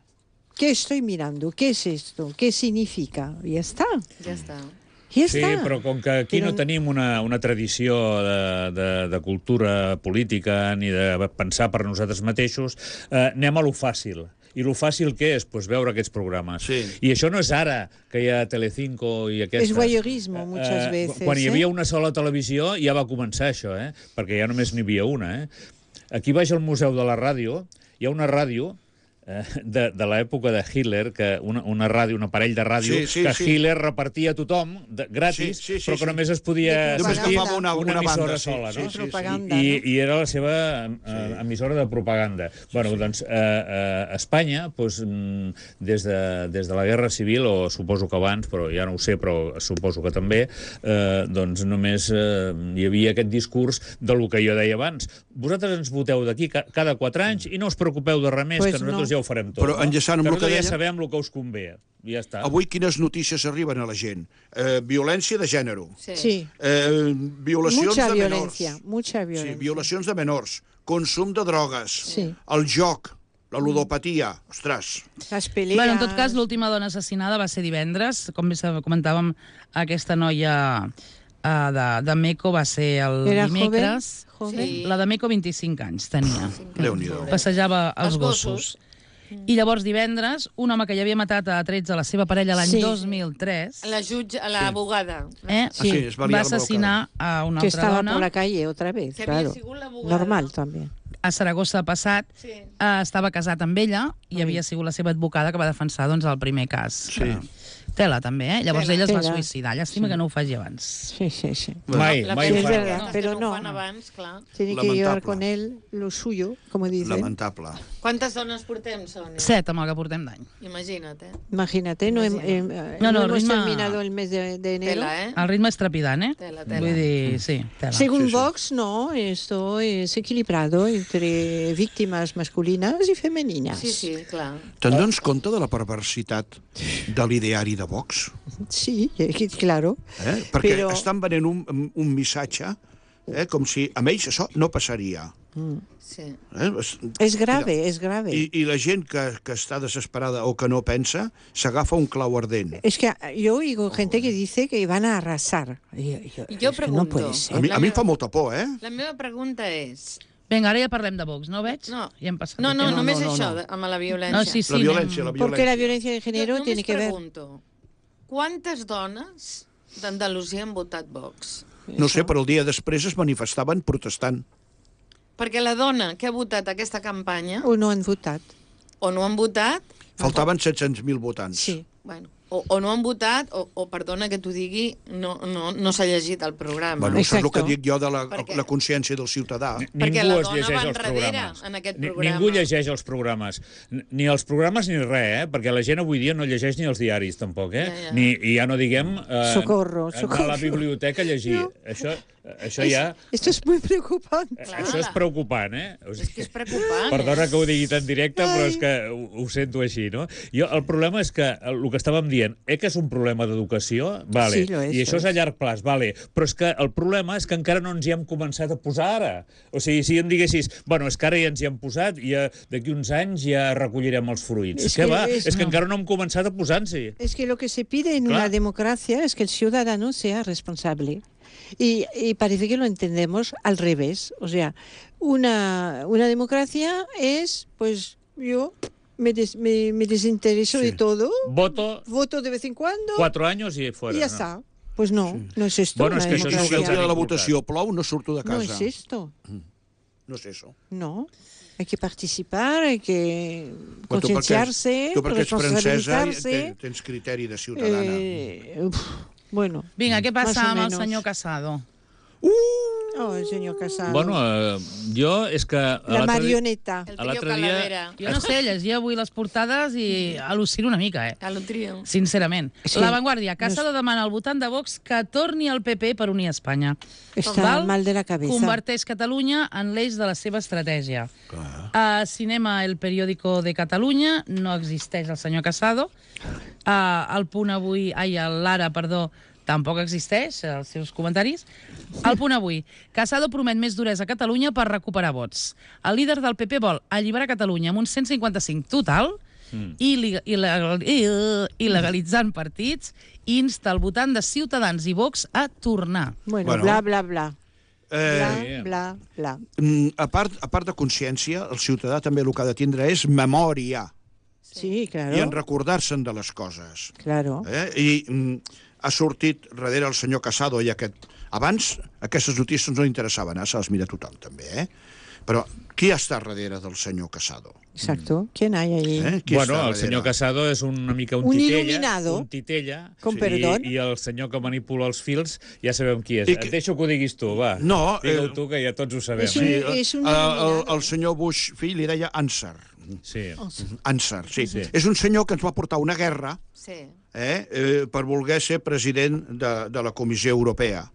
¿Qué estoy mirando? ¿Qué es esto? ¿Qué significa? Y ya está. Ja està. Ja Sí, està. però com que aquí no tenim una tradició de cultura política ni de pensar per nosaltres mateixos, anem a lo fàcil. I lo fàcil què és? Pues veure aquests programes. Sí. I això no és ara, que hi ha Telecinco i aquestes... Es voyeurismo, muchas veces. Quan hi havia una sola televisió ja va començar això, perquè ja només n'hi havia una. Aquí baix al Museu de la Ràdio hi ha una ràdio de l'època de Hitler, que un aparell de ràdio que Hitler repartia a tothom gratis, però que només es podia sentir una emissora sola, no? I era la seva emissora de propaganda. Bueno, doncs a Espanya, des de la Guerra Civil, o suposo que abans, però ja no ho sé, però suposo que també, doncs només hi havia aquest discurs del que jo deia abans. Vosaltres ens voteu d'aquí cada 4 anys i no us preocupeu de res més, que nosaltres ja ho farem tot. Però enllaçant amb el que ja deia, sabem el que us convé. Ja està. Avui quines notícies arriben a la gent? Violència de gènere. Sí. Violacions de menors. Mucha violencia. Sí, violacions de menors. Consum de drogues. Sí. El joc. La ludopatia. Ostres. Las peleas. Bueno, en tot cas, l'última dona assassinada va ser divendres. Com bé comentàvem, aquesta noia de Meco va ser el dimecres. Joven. La de Meco 25 anys tenia. Déu-n'hi-do. Passejava els gossos. I llavors divendres, un home que ja havia matat a 13 la seva parella l'any 2003... La jutge, l'abogada. Va assassinar a una que altra estaba dona. por la calle otra vez, Que claro. havia sigut l'abogada. Normal també. A Saragossa passat, estava casat amb ella i havia sigut la seva advocada que va defensar el primer cas Tela, també, eh? Llavors ell es va Tela. suïcidar. Llàstima que no ho faci abans. Sí, sí, sí. Mai La ho Sí, es farà. verdad. que pero no no. ho fan abans, clar. Tiene que llevar Lamentable. con él lo suyo, como dicen. Lamentable. Quantes dones portem, Sònia? 7 amb el que portem d'any. Imagina't, Imagínate, no, No, no el hemos ritme- terminado el mes de enero. Tela, eh? El ritme és trepidant, eh? Tela, tela. Vull dir, sí, tela. Según Sí, sí. Vox, no, esto es equilibrado entre víctimas masculinas y femeninas. Sí, sí, clar. Te'n dones compte de la perversitat de l'ideari de Vox? Sí, claro. Perquè Però- estan venent un missatge com si amb ells això no passaria. Sí. Es grave, es grave. I la gent que està desesperada o que no pensa s'agafa un clau ardent. Es que yo oigo gente que dice que van a arrasar. Jo es que no pregunto. puede ser. A mi em fa molta por, eh? La meva pregunta és... Vinga, ara ja parlem de Vox, no veig? No, I hem passat no, de no, tema. només no, això, no. amb la violència. No, sí, sí. La violència, la Porque la violència. violencia de género Jo tiene que ver... pregunto, quantes dones d'Andalusia han votat Vox? No sé, però el dia després es manifestaven protestant. Perquè la dona que ha votat aquesta campanya, O no han votat. o no han votat, Faltaven 700.000 votants. Sí. bueno, o no han votat, o perdona que t'ho digui, no s'ha llegit el programa. Bueno, això és el que Exacto. dic jo de Perquè- la consciència del ciutadà. Perquè Ningú la es dona llegeix va els enrere programes. en aquest Ni- programa. Ningú llegeix els programes. Ni els programes ni res, perquè la gent avui dia no llegeix ni els diaris, tampoc, Ja. I ja no diguem... Socorro, anar socorro. a la biblioteca a llegir. No. Això ja... Esto es muy preocupante. Clar. Això és preocupant, eh? O És que és preocupant. Perdona que ho digui tan directe, però és que ho sento així, no? El problema és que el que estàvem dient, que és un problema d'educació, vale, Sí, lo és, i això lo és és. a llarg plaç, vale, però és que el problema és que encara no ens hi hem començat a posar ara. O sigui, si em diguessis, bueno, és que ara ja ens hi hem posat i d'aquí uns anys ja recollirem els fruits. És Què que va? és- És que no. encara no hem començat a posar-s'hi. Es que lo que se pide en Claro. una democracia es que el ciudadano sea responsable. Y parece que lo entendemos al revés. O sea, una democracia es, pues yo me desintereso Sí. de todo, Voto voto de vez en cuando 4 anys i fuera. y ya no? está. Pues no, no es esto. Bueno, una es que això és Si el el democracia. dia de la importat. votació plou, no surto de No casa. es esto. No és això. No. Hay que participar, hay que Però concienciarse, tu perquè ets francesa responsabilitzarse. tens criteri de ciutadana. Bueno. Vinga, què Más passa o amb el menos. senyor Casado? Oh, el señor Casado. Bueno, jo és que... la l'altre dia- marioneta. El A trio l'altre dia- Calavera. Jo no sé, llegia avui les portades i al·lucino una mica, eh? El trio. Sincerament. Sí. La Vanguardia, Casado demana al votant de Vox que torni al PP per unir Espanya. Està Val? mal de la cabeza. Converteix Catalunya en l'eix de la seva estratègia. A Cinema, el periòdico de Catalunya, no existeix el senyor Casado. El Punt Avui, l'Ara, perdó, tampoc existeix, els seus comentaris. El Punt Avui. Casado promet més duresa a Catalunya per recuperar vots. El líder del PP vol alliberar Catalunya amb un 155 total i legalitzant partits i insta el votant de Ciutadans i Vox a tornar. Bueno, Bueno. bla, bla, bla. Bla, Sí. bla, bla. A part de consciència, el ciutadà també el que ha de tindre és memòria Sí, claro. i en recordar-se'n de les coses. Claro. I ha sortit darrere el senyor Casado i aquest... Abans aquestes notícies no interessaven, se les mira tothom també, Però qui està darrere del senyor Casado? Exacto. ¿Quién hay ahí? Qui Bueno, està el darrere? senyor Casado és una mica un Un titella. il·luminado. Un titella. Con perdón. I el senyor que manipula els fils ja sabem qui és. I que- Et deixo que ho diguis tu, va. No, Digue-ho tu, que ja tots ho sabem. És un- eh? és un il·luminado. el senyor Bush fill li deia Ansar. Sí. Ansar, sí. Sí. És un senyor que ens va portar una guerra Sí. per voler ser president de la Comissió Europea.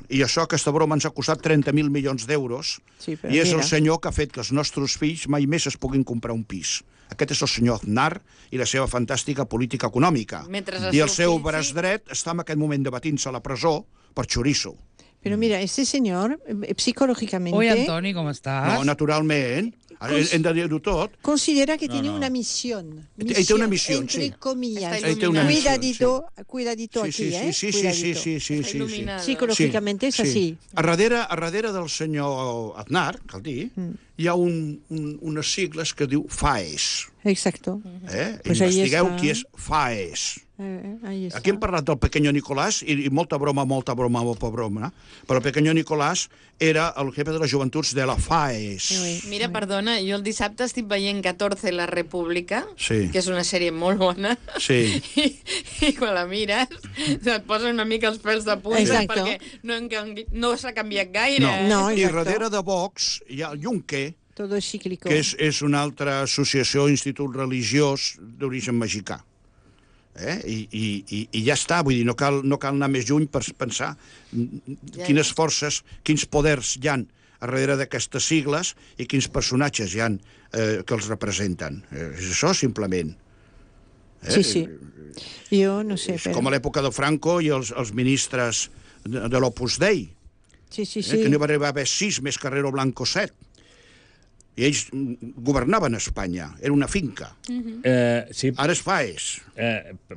I això, aquesta broma, ens ha costat 30.000 milions d'euros Sí, però i és mira. el senyor que ha fet que els nostres fills mai més es puguin comprar un pis. Aquest és el senyor Aznar i la seva fantàstica política econòmica. Mentre el I el seu seu fill, braç sí. dret està en aquest moment debatint-se a la presó per xoriço. Pero mira, este señor, psicológicamente, Oi, Antoni, com estàs? No, naturalment. Ara hem de dir-ho tot. considera que No, tiene no. una misión. Ell té una missió, entre sí. comillas. Ell té una missió, Cuidadito Sí, aquí, sí, ¿eh? sí, sí, sí, Cuidadito. sí, sí, Està sí. il·luminada. Psicológicamente es así. A darrere del senyor Aznar, cal dir, hi ha unes sigles que diu FAES. Exacto. Pues ahí está. Investigueu qui és FAES. Ahí está. Aquí hem parlat del Pequeño Nicolás, i molta broma, però el Pequeño Nicolás era el jefe de les joventuts de la FAES. Mira, perdona, jo el dissabte estic veient 14 La República, Sí. que és una sèrie molt bona, Sí. i quan la mires et posen una mica els pèls de punta, Exacto. perquè no s'ha canviat gaire. No, I exacto. darrere de Vox hi ha el Junque, Todo es cíclico. que és una altra associació, institut religiós d'origen mexicà. I ja està, vull dir, no cal anar més lluny per pensar quines forces, quins poders hi han a darrere d'aquestes sigles i quins personatges hi han que els representen. És això, simplement. Sí. Jo no sé, És però... com a l'època de Franco i els ministres de l'Opus Dei, Sí. que no va arribar a haver 6 més Carrero Blanco 7. I ells governaven Espanya, era una finca. Sí, Ara es FAES.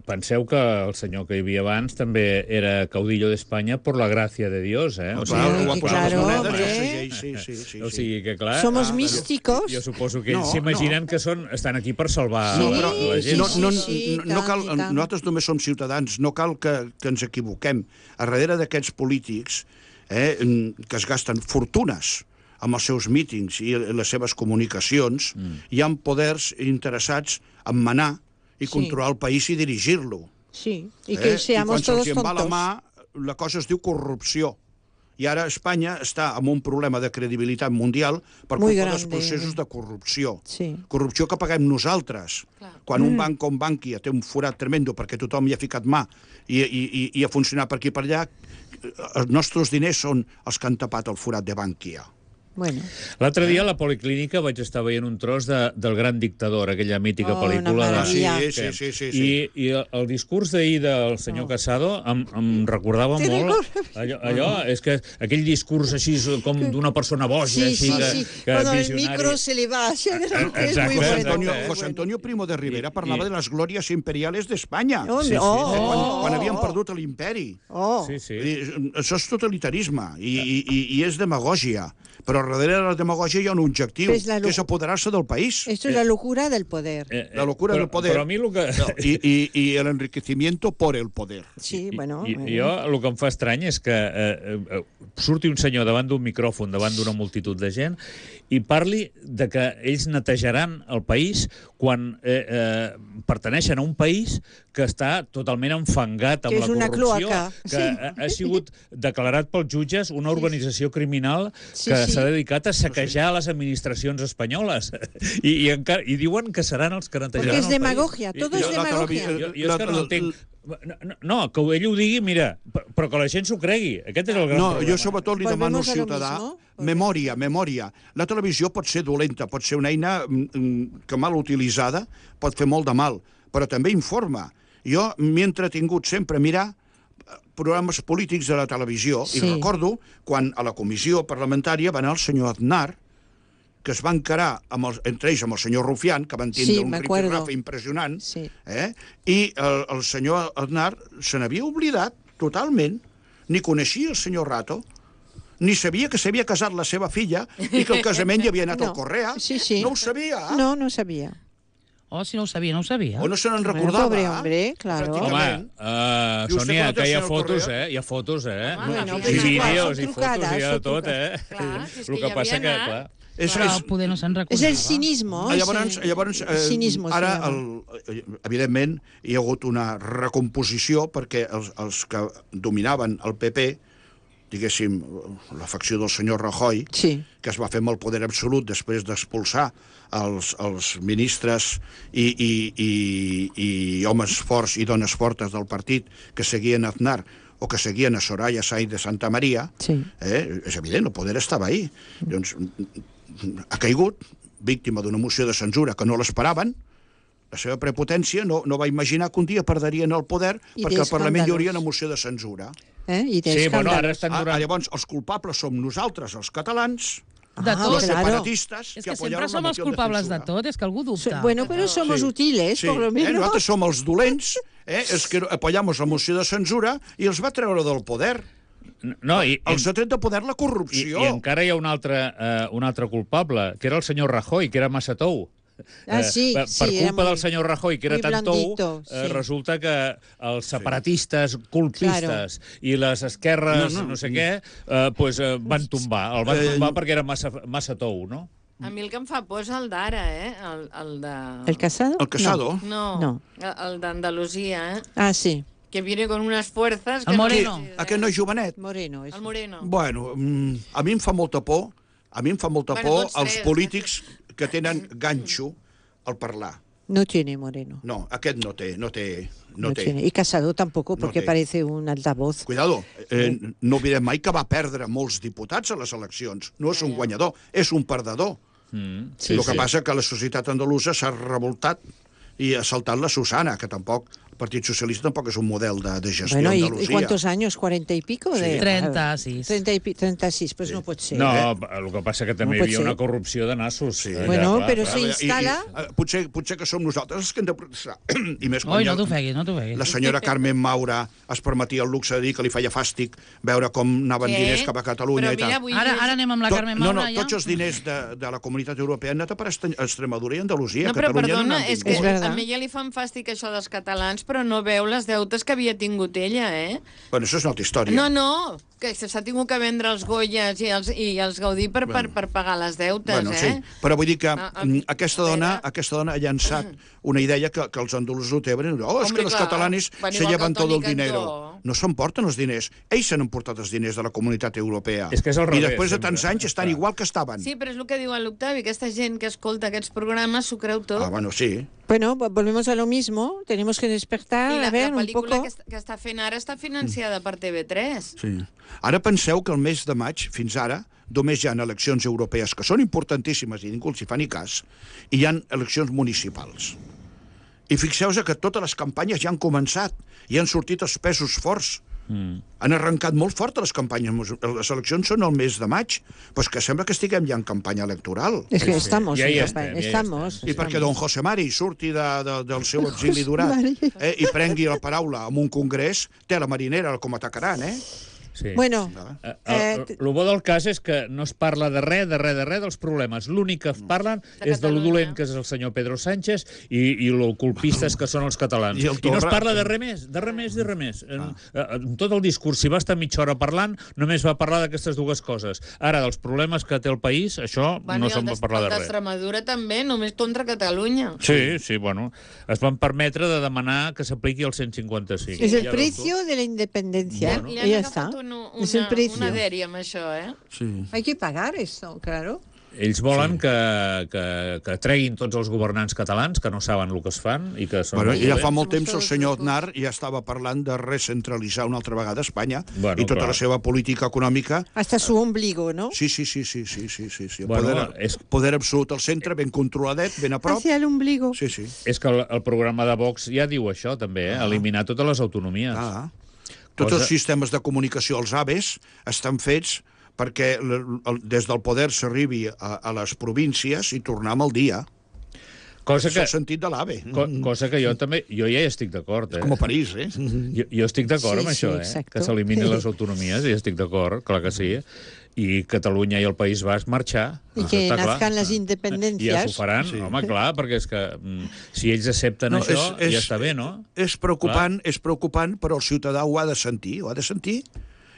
penseu que el senyor que hi havia abans també era caudillo d'Espanya per la gràcia de Dios, eh? O Clar, sigui, ho ha posat les claro, monedes, hombre. sí. o sigui que, clar... Somos místicos. Jo suposo que ells No, s'imaginen que estan aquí per salvar Sí, Però la gent. sí, cal, i tant. nosaltres només som ciutadans, no cal que ens equivoquem. A darrere d'aquests polítics que es gasten fortunes amb els seus mítings i les seves comunicacions, hi ha poders interessats en manar i controlar el país i dirigir-lo. Sí, y que seamos I quan todos se'ls en va la tontos. mà, la cosa es diu corrupció. I ara Espanya està amb un problema de credibilitat mundial per Muy culpa dels grande. processos de corrupció. Sí. Corrupció que paguem nosaltres. Clar. Quan un banc com Bankia té un forat tremendo perquè tothom hi ha ficat mà i ha funcionat per aquí i per allà, els nostres diners són els que han tapat el forat de Bankia. Bueno, L'altre dia a la Policlínica vaig estar veient un tros del Gran Dictador, aquella mítica Oh, pel·lícula. una maravilla. Sí. I el discurs d'ahir del senyor Casado em recordava Te molt allò, és que aquell discurs així com d'una persona boja, sí, així sí. que Cuando el visionari. micro se le va hacia adelante, es Exacto, muy exacto. bueno. José Antonio Primo de Rivera parlava de les glòries imperiales d'Espanya. Hombre, Quan havien perdut l'imperi. Sí, sí. Això és totalitarisme i és demagògia. Però darrere de la demagògia hi ha un objectiu, És la que és apoderar-se del país. Esto es la locura del poder. La locura del poder. Però a mi el que... I el enriquecimiento por el poder. Sí, bueno. Jo el que em fa estrany és que surti un senyor davant d'un micròfon, davant d'una multitud de gent, i parli de que ells netejaran el país quan pertaneixen a un país que està totalment enfangat amb Que la és una corrupció, cloaca. que Sí. ha sigut declarat pels jutges una organització criminal Sí, que sí. s'ha dedicat a saquejar les administracions espanyoles. I diuen que seran els que netejaran Porque es el país. demagogia, todo es demagogia. Jo és que no entenc. No, que ell ho digui, mira, però que la gent s'ho cregui. Aquest és el gran No, problema. jo sobretot li demano al Volvemos a lo ciutadà mismo. memòria. La televisió pot ser dolenta, pot ser una eina que mal utilitzada pot fer molt de mal, però també informa. Jo m'he entretingut sempre a mirar programes polítics de la televisió i recordo quan a la comissió parlamentària va anar el senyor Aznar, que es va encarar entre ells amb el senyor Rufián, que van tindre un rifirrafe impressionant, i el senyor Aznar se n'havia oblidat totalment, ni coneixia el senyor Rato, ni sabia que s'havia casat la seva filla i que el casament hi havia anat al Correa. No ho sabia. No, no sabia. Oh, si no ho sabia, no ho sabia. O no se n'en recordava. Pobre hombre, claro. Home, Sònia, que hi ha fotos, Hi ha fotos, Bueno, I vídeos, i són fotos, i de tot, Clar, si és El que que hi passa havia que, anat. clar... Però poder no se'n recordava. És el cinismo. Llavors, cinismo, ara, evidentment, hi ha hagut una recomposició perquè els que dominaven el PP, diguéssim, la facció del senyor Rajoy, que es va fer amb el poder absolut després d'expulsar els ministres i homes forts i dones fortes del partit que seguien Aznar o que seguien a Soraya Sáenz de Santa Maria, és evident, el poder estava ahí. Doncs ha caigut, víctima d'una moció de censura que no l'esperaven, la seva prepotència no va imaginar que un dia perdrien el poder perquè al Parlament hi hauria una moció de censura. Sí, bueno, ara estan durant... Llavors, els culpables som nosaltres, els catalans, de tot. los separatistas, és que sempre som els culpables de tot, és que algú dubta. Bueno, pero somos útiles, por lo menos. Nosaltres som els dolents, els que apoyamos la moció de censura i els va treure del poder. No, els ha tret de poder la corrupció. I encara hi ha un altre culpable, que era el senyor Rajoy, que era massa tou. Sí, per sí, culpa del senyor Rajoy, que era muy tan tou, blandito, sí. resulta que els separatistes, colpistes i les esquerres, no sé què, van tombar. El van tombar perquè era massa tou, no? A mi el que em fa por és el d'ara, el de... ¿El Casado? El Casado? No, el d'Andalusia, Sí. Que viene con unas fuerzas... El Moreno. Aquest noi jovenet? Moreno. El Moreno. Bueno, a mi em fa molta por, tots els tres, polítics que tenen ganxo al parlar. No tiene Moreno. No, aquest no té. Tiene. Y Casado tampoco, porque té. parece un altavoz. Cuidado, no oblidem mai que va perdre molts diputats a les eleccions. No és un guanyador, és un perdedor. Sí, El que passa que la societat andalusa s'ha revoltat i ha saltat la Susana, que tampoc... El Partit Socialista tampoc és un model de gestió Bueno, Andalusia. ¿y cuántos años? ¿40 y pico? Sí. 36. 36, pues no puede ser. No, el que passa que també hi No pot havia ser. una corrupció de nassos. Sí. Bueno, però Clar, se instala... Potser que som nosaltres els que hem de protestar. I més quan Oi, no t'ofeguis, no t'ofeguis. la senyora Carmen Maura es permetia el luxe de dir que li feia fàstic veure com anaven diners cap a Catalunya i tal. Ara anem amb la Carmen Maura, ja? Tots els diners de la Comunitat Europea han anat a per Extremadura i Andalusia. No, però Catalunya perdona, no n'han és que vingut. a mi ja li fan fàstic això dels catalans, però no veu les deutes que havia tingut ella, Bueno, això és una altra història. No, que s'ha tingut que vendre els Goyes i els Gaudí per pagar les deutes, Bueno, sí, però vull dir que aquesta dona veure. ha llançat una idea que els andalusos ho tenen. És que Hombre, los clar, catalanes van se igual que llevan el todo el Toni dinero. Cantó. No s'emporten els diners. Ells s'han emportat els diners de la Comunitat Europea. És que és al I revés, després de sempre. tants anys estan Clar. igual que estaven. Sí, però és el que diu l'Octavi, aquesta gent que escolta aquests programes s'ho creu tot. Bueno, sí. Bueno, volvemos a lo mismo. Tenemos que despertar, I a ver, la un pel·lícula poco... que està fent ara està financiada per TV3. Sí. Ara penseu que el mes de maig, fins ara, només hi ha eleccions europees que són importantíssimes i ningú els hi fa ni cas, i hi ha eleccions municipals. I fixeu-vos que totes les campanyes ja han començat i han sortit els pesos forts. Han arrencat molt fort les campanyes. Les eleccions són el mes de maig, però que sembla que estiguem ja en campanya electoral. Es que estamos, Ja hi en estem, campaña, ja hi estamos. I perquè don José Mari surti del seu exili durat Mari. i prengui la paraula en un congrés, té la marinera com atacaran, Sí. Bueno, El bo del cas és que no es parla de res dels problemes. L'únic que parlen és de lo dolent que és el senyor Pedro Sánchez i lo culpistes que són els catalans. I el I no es Torra. parla de res més. En tot el discurs, si va estar mitja hora parlant, només va parlar d'aquestes dues coses. Ara, dels problemes que té el país, això no se'n va parlar de res. D'Extremadura també, només contra Catalunya. Sí, bueno. Es van permetre de demanar que s'apliqui el 155. es el Ja veus tu. precio de la independencia. Li Y han ya agafat está. una Es el precio. dèria amb això, Sí. Hay que pagar esto, claro. Ells volen que treguin tots els governants catalans que no saben el que es fan i que són Bueno, molt ja dolents. fa molt temps el todos senyor locos. Aznar ja estava parlant de recentralitzar una altra vegada Espanya Bueno, i tota clar. la seva política econòmica. Hasta su ombligo, ¿no? Sí. El Bueno, és- poder absolut al centre, ben controladet, ben a prop. Hacia el ombligo. Sí. És que el programa de Vox ja diu això, també, eliminar totes les autonomies. Tots Cosa- els sistemes de comunicació, els AVEs, estan fets perquè des del poder s'arribi a les províncies i tornar amb el dia. Cosa És que, el sentit de l'AVE. cosa que jo ja hi estic d'acord. Com a París, Jo estic d'acord Sí, amb sí, això, exacto. que s'eliminin les autonomies, i estic d'acord, clar que sí. I Catalunya i el País Basc marxar. Y Això que està clar. nazcan las I ja s'ho independencias. faran, home, clar, perquè és que si ells accepten això, ja està bé, no? És preocupant, però el ciutadà ho ha de sentir,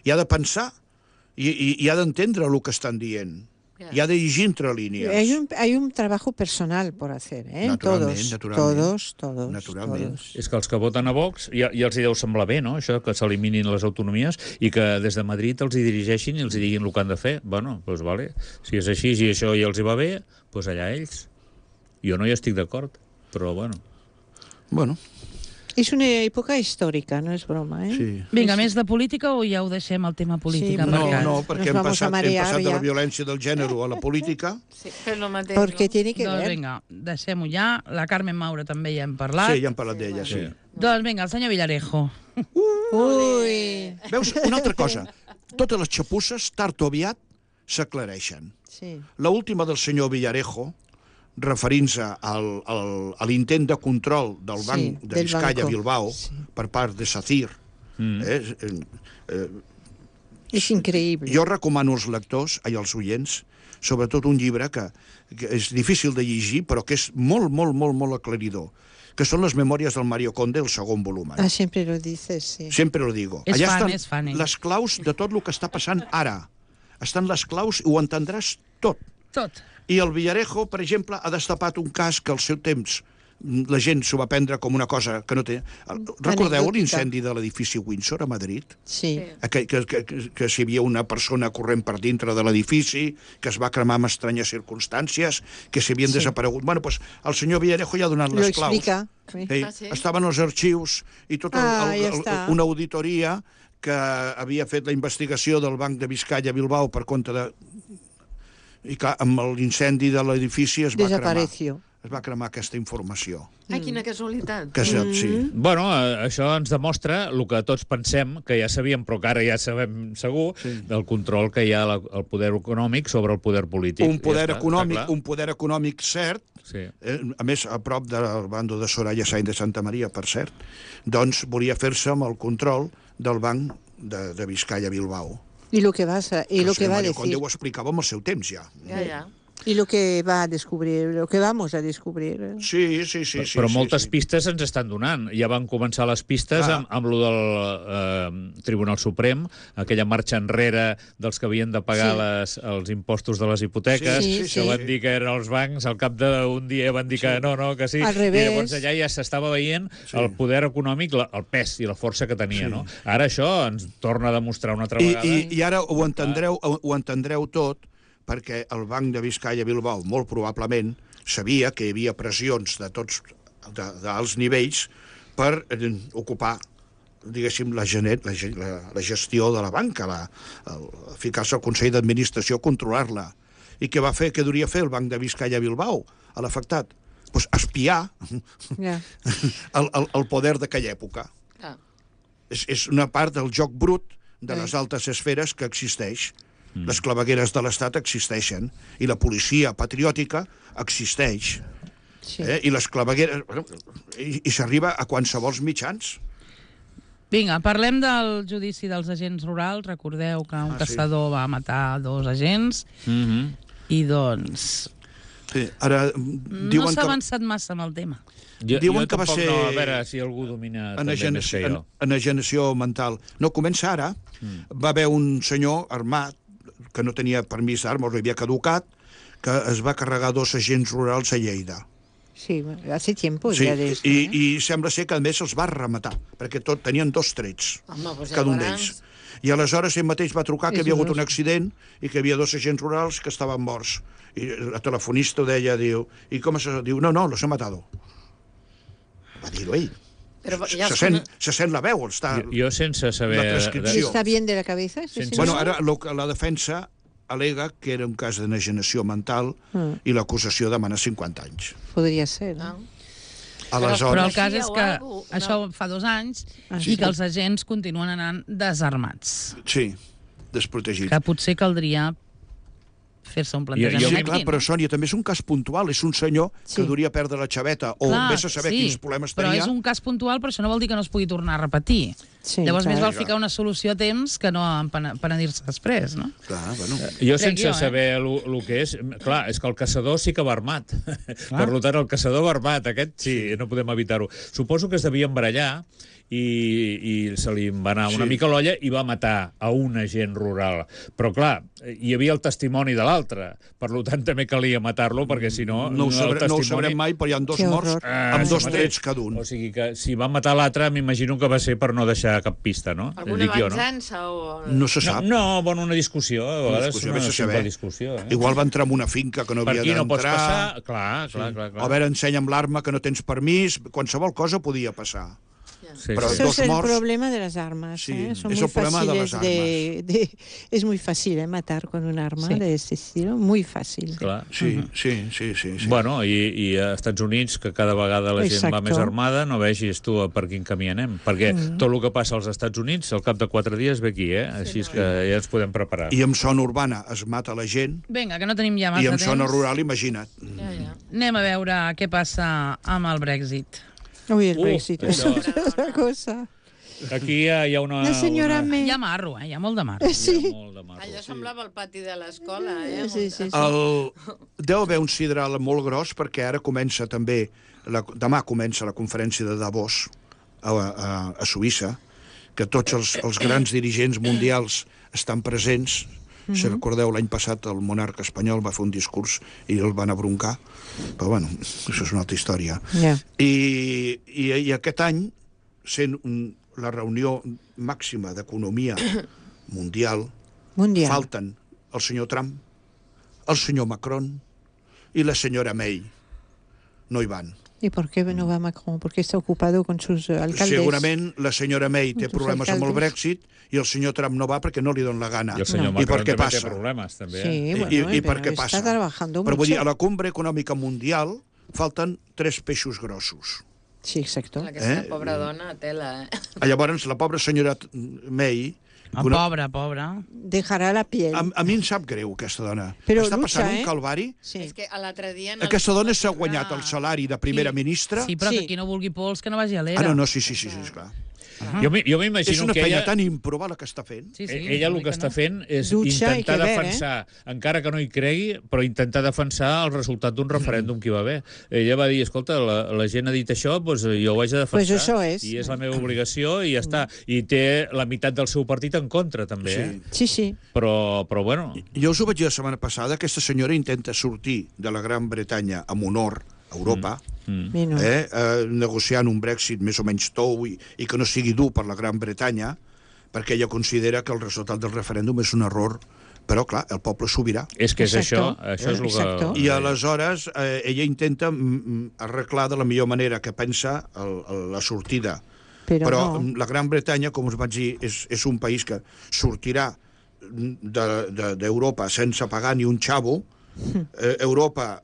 i ha de pensar, i ha d'entendre el que estan dient. I ha de llegir entre línies. Hay un trabajo personal por hacer, ¿eh? Naturalment. Todos. És que els que voten a Vox ja els hi deu semblar bé, no?, això, que s'eliminin les autonomies i que des de Madrid els hi dirigeixin i els hi diguin el que han de fer. Bueno, doncs vale. Si és així, si això ja els hi va bé, doncs allà ells. Jo no hi estic d'acord, però bueno. Bueno, Es una época histórica, no es broma, ¿eh? sí. Vinga, més de política o ja ho deixem el tema política? Sí, marcat? No, perquè hem Nos vamos a passat marear de la ja. violència del gènere a la política. Sí, és el mateix. Porque tiene que Doncs ver. vinga, deixem-ho ja. La Carmen Maura també ja hem parlat. Sí, ja hem parlat d'ella, sí. Doncs vinga, el senyor Villarejo. Uy, Veus, una altra cosa. Totes les xapusses, tard o aviat, s'aclareixen. sí. L'última del senyor Villarejo, referint-se a l'intent de control del banc de del Vizcaya banco. Bilbao per part de SACIR. Es increíble. Jo recomano als lectors, als oients, sobretot un llibre que és difícil de llegir, però que és molt, molt, molt, molt aclaridor, que són les memòries del Mario Conde, el segon volum. Ah, siempre lo dices, sí. Sempre lo digo. És Allà fan, estan ell. les claus de tot el que està passant ara. Estan les claus i ho entendràs tot. Tot. I el Villarejo, per exemple, ha destapat un cas que al seu temps la gent s'ho va prendre com una cosa que no té... Recordeu Anecdòtica. l'incendi de l'edifici Windsor a Madrid? Sí. Que si hi havia una persona corrent per dintre de l'edifici, que es va cremar amb estranyes circumstàncies, que s'havien desaparegut. Bueno, doncs el senyor Villarejo ja ha donat Lo les claus. explica. Sí. Sí. Estaven els arxius i tota ja està. una auditoria que havia fet la investigació del Banc de Vizcaya Bilbao per compte de... I clar, amb l'incendi de l'edifici es va cremar. Desapareció. Es va cremar aquesta informació. Ai, quina casualitat. Que sí. Bueno, això ens demostra el que tots pensem, que ja sabíem, però que ara ja sabem segur, del control que hi ha al poder econòmic sobre el poder polític. Un poder Ja està, econòmic, està clar. un poder econòmic cert, Sí. a més, a prop del bando de Soraya Sáenz de Santa Maria, per cert, doncs volia fer-se amb el control del Banc de Vizcaya Bilbao. Y lo que vas a, y El lo que senyor va a Mario decir. Conde ho explicava amb el seu temps, ja. Ja. Y lo que va a descubrir, lo que vamos a descubrir. Sí. Però moltes pistes ens estan donant. Ja van començar les pistes amb lo del Tribunal Suprem, aquella marxa enrere dels que havien de pagar els impostos de les hipoteques, Sí, que van dir que eren els bancs, al cap d'un dia van dir que no, que sí. Al revés. I llavors allà ja s'estava veient el poder econòmic, el pes i la força que tenia. No? Ara això ens torna a demostrar una altra vegada. I ara ho entendreu tot, perquè el Banc de Vizcaya Bilbao, molt probablement, sabia que hi havia pressions de tots d'alts nivells per ocupar, diguéssim, la gestió de la banca, ficar-se al Consell d'Administració, controlar-la. I què va fer? Què duria fer el Banc de Vizcaya Bilbao a l'afectat? Doncs espiar el poder d'aquella època. És una part del joc brut de les altes esferes que existeix. Les clavegueres de l'Estat existeixen i la policia patriòtica existeix. Sí. I les clavegueres... I s'arriba a qualsevol mitjans. Vinga, parlem del judici dels agents rurals. Recordeu que un caçador va matar 2 agents i doncs... Sí, ara No s'ha avançat massa amb el tema. Diuen que va tampoc ser no, a veure si algú domina també més que jo. enajenació mental. No, comença ara. Va haver un senyor armat que no tenia permís d'armes, havia caducat, que es va carregar 2 agents rurals a Lleida. Sí, hace tiempo Sí, ya de esto. i sembla ser que a més els va rematar, perquè tenien 2 trets, Home, doncs cada un llavors... d'ells. I aleshores ell mateix va trucar que És havia hagut dolós. un accident i que hi havia 2 agents rurals que estaven morts. I la telefonista ho deia, diu, i com se... Diu, no, los he matado. Va dir-ho ell. Però ja Se sent la veu, està... Jo sense saber... La transcripció. ¿Está bien de la cabeza? este Sense- señor? Bueno, ara la defensa al·lega que era un cas d'enajenació mental i l'acusació demana 50 anys. Podría ser. ¿no? Però el Aleshores, cas és que Algú, això fa 2 anys i que els agents continuen anant desarmats. sí, desprotegit. Que potser caldria fer-se un plantejament Sí, aquí. clar, però Sònia, també és un cas puntual. És un senyor que Sí. duria perdre la xaveta o Clar, vés a saber quins problemes però tenia. és un cas puntual, però això no vol dir que no es pugui tornar a repetir. Sí, Llavors clar. més val ficar una solució a temps que no penedir-se després, no? Clar, bueno. Jo Crec sense jo, saber el que és... Clar, és que el caçador sí que va armat. Per tant, el caçador va armat. Aquest sí, no podem evitar-ho. Suposo que es devia embarallar i se li va anar una mica l'olla i va matar a un agent rural. Però, clar, hi havia el testimoni de l'altre. Per tant, també calia matar-lo, perquè si no... No ho el sabrem mai, però hi ha 2 Que morts horror. amb 2 sí, trets cada un. O sigui que si va matar l'altre, m'imagino que va ser per no deixar cap pista, no? Alguna Dic jo, no? venjança o... No se sap. No, bueno, una discussió, a vegades discussió, una vés a simple saber. discussió. Igual va entrar en una finca que no Per havia aquí no pots d'entrar. passar... Clar. O a veure, ensenya'm l'arma que no tens permís. Qualsevol cosa podia passar. Sí, Però sí. Eso dos es el morts. problema de las armas. Sí, Son es muy el problema de fáciles las es muy fácil matar con un arma Sí. de este estilo, muy fácil. Clar. Sí. Bueno, i a Estats Units, que cada vegada la gent va Exacto. més armada, no vegis tu per quin camí anem. Perquè tot el que passa als Estats Units, al cap de 4 dies ve aquí, eh? Així és que ja ens podem preparar. I en zona urbana es mata la gent Vinga, que no tenim ja massa i en temps. zona rural, imagina't. Ja. Anem a veure què passa amb el Brexit. Uy, el Brexit, això- eso es otra cosa. Aquí hi ha una... La senyora May. Hi ha marro, hi ha molt de marro. Sí. Hi ha molt de marro. Allò semblava el pati de l'escola, Sí. Deu haver un sidral molt gros perquè ara comença també, demà comença la conferència de Davos a Suïssa, que tots els grans dirigents mundials estan presents. Si recordeu, l'any passat el monarca espanyol va fer un discurs i el van abroncar, però bueno, això és una altra història. Yeah. I aquest any, sent la reunió màxima d'economia mundial, falten el senyor Trump, el senyor Macron i la senyora May. No hi van. ¿Y por qué no va Macron? Porque está ocupado con sus alcaldes. Segurament la senyora May té problemes amb el Brexit i el senyor Trump no va perquè no li dona la gana. I el senyor Macron també té problemes, també. Sí, bueno, I per què passa? Está trabajando Però mucho. vull dir, a la cumbre econòmica mundial falten 3 peixos grossos. Sí, exacto. Aquesta pobra dona, tela, Llavors, la pobra senyora May... Pobra. Dejarà la piel. A mi em sap greu, aquesta dona. Però està lucha, passant un calvari. Sí. És que l'altre dia... Aquesta dona s'ha guanyat el salari de primera ministra. Sí, però Sí. que qui no vulgui pols, que no vagi a l'era. No, sí, esclar. Jo És m'imagino una que feina ella... tan improva la que està fent. Sí, Ella el que està fent és Dutxa i intentar que ver, defensar, encara que no hi cregui, però intentar defensar el resultat d'un referèndum que hi va haver. Ella va dir, escolta, la gent ha dit això, doncs jo ho haig de defensar. Pues això és. I és la meva obligació i ja està. I té la meitat del seu partit en contra, també. Sí. Sí. Però bueno... Jo us ho vaig dir la setmana passada, aquesta senyora intenta sortir de la Gran Bretanya amb honor a Europa, negociant un Brexit més o menys tou i que no sigui dur per la Gran Bretanya, perquè ella considera que el resultat del referèndum és un error, però clar, el poble sobirà. És que és Exacto. això és el que... I aleshores ella intenta arreglar de la millor manera que pensa la sortida. Però no. la Gran Bretanya, com us vaig dir, és un país que sortirà d'Europa sense pagar ni un xavo. Europa,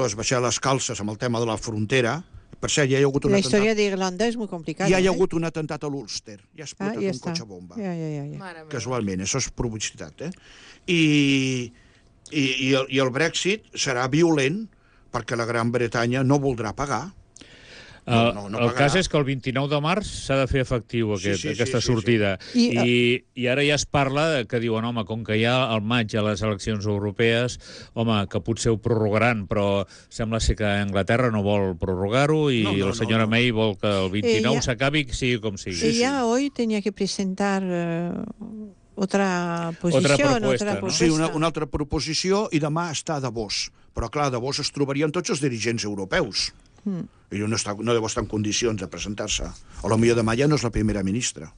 es baixar les calces amb el tema de la frontera. Per cert, ja hi ha hagut un La atemptat. historia de Irlanda es muy complicada. Ja hi ha hagut un atemptat a l'Ulster. Ja ha explotat ja un està. cotxe bomba. Ja. Mare meva. Casualment, això és publicitat. I el Brexit serà violent perquè la Gran Bretanya no voldrà pagar. No el cas és que el 29 de març s'ha de fer efectiu aquesta sortida. I ara ja es parla que diuen, home, com que ja al maig hi ha les eleccions europees, home, que potser ho prorrogaran, però sembla ser que Anglaterra no vol prorrogar-ho i la senyora May vol que el 29 s'acabi, sigui com sigui. Ella hoy tenía que presentar otra posición, otra propuesta. Sí, una altra proposició, i demà està a Davos. Però clar, a Davos es trobarien tots els dirigents europeus. I no deu estar en condicions de presentar-se. O potser demà ja no és la primera ministra.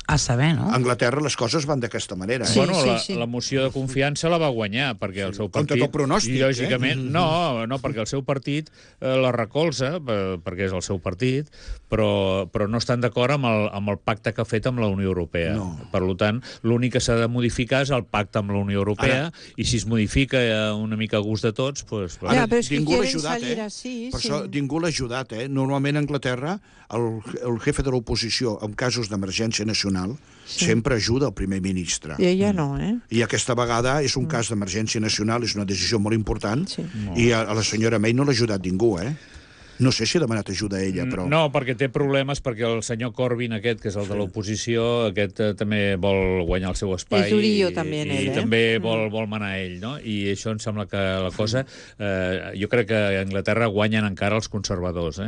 A saber, no? A Anglaterra les coses van d'aquesta manera. Sí, Bueno, sí. la moció de confiança la va guanyar, perquè el seu partit... Contra tot pronòstic, lògicament, no, perquè el seu partit la recolza, perquè és el seu partit, però no estan d'acord amb el pacte que ha fet amb la Unió Europea. No. Per tant, l'únic que s'ha de modificar és el pacte amb la Unió Europea, i si es modifica una mica a gust de tots, doncs... Ja, però és que ningú l'ha quieren ajudat, salir así, Per sí. això ningú l'ha ajudat, Normalment a Anglaterra el jefe de l'oposició en casos d'emergència nacional sempre ajuda el primer ministre. I ella no, I aquesta vegada és un cas d'emergència nacional, és una decisió molt important, Sí. i a la senyora May no l'ha ajudat ningú, No sé si ha demanat ajuda a ella, però... No, perquè té problemes, perquè el senyor Corbyn aquest, que és el de l'oposició, aquest també vol guanyar el seu espai. És durillo també, i ell, també vol manar ell, no? I això em sembla que la cosa... jo crec que a Anglaterra guanyen encara els conservadors,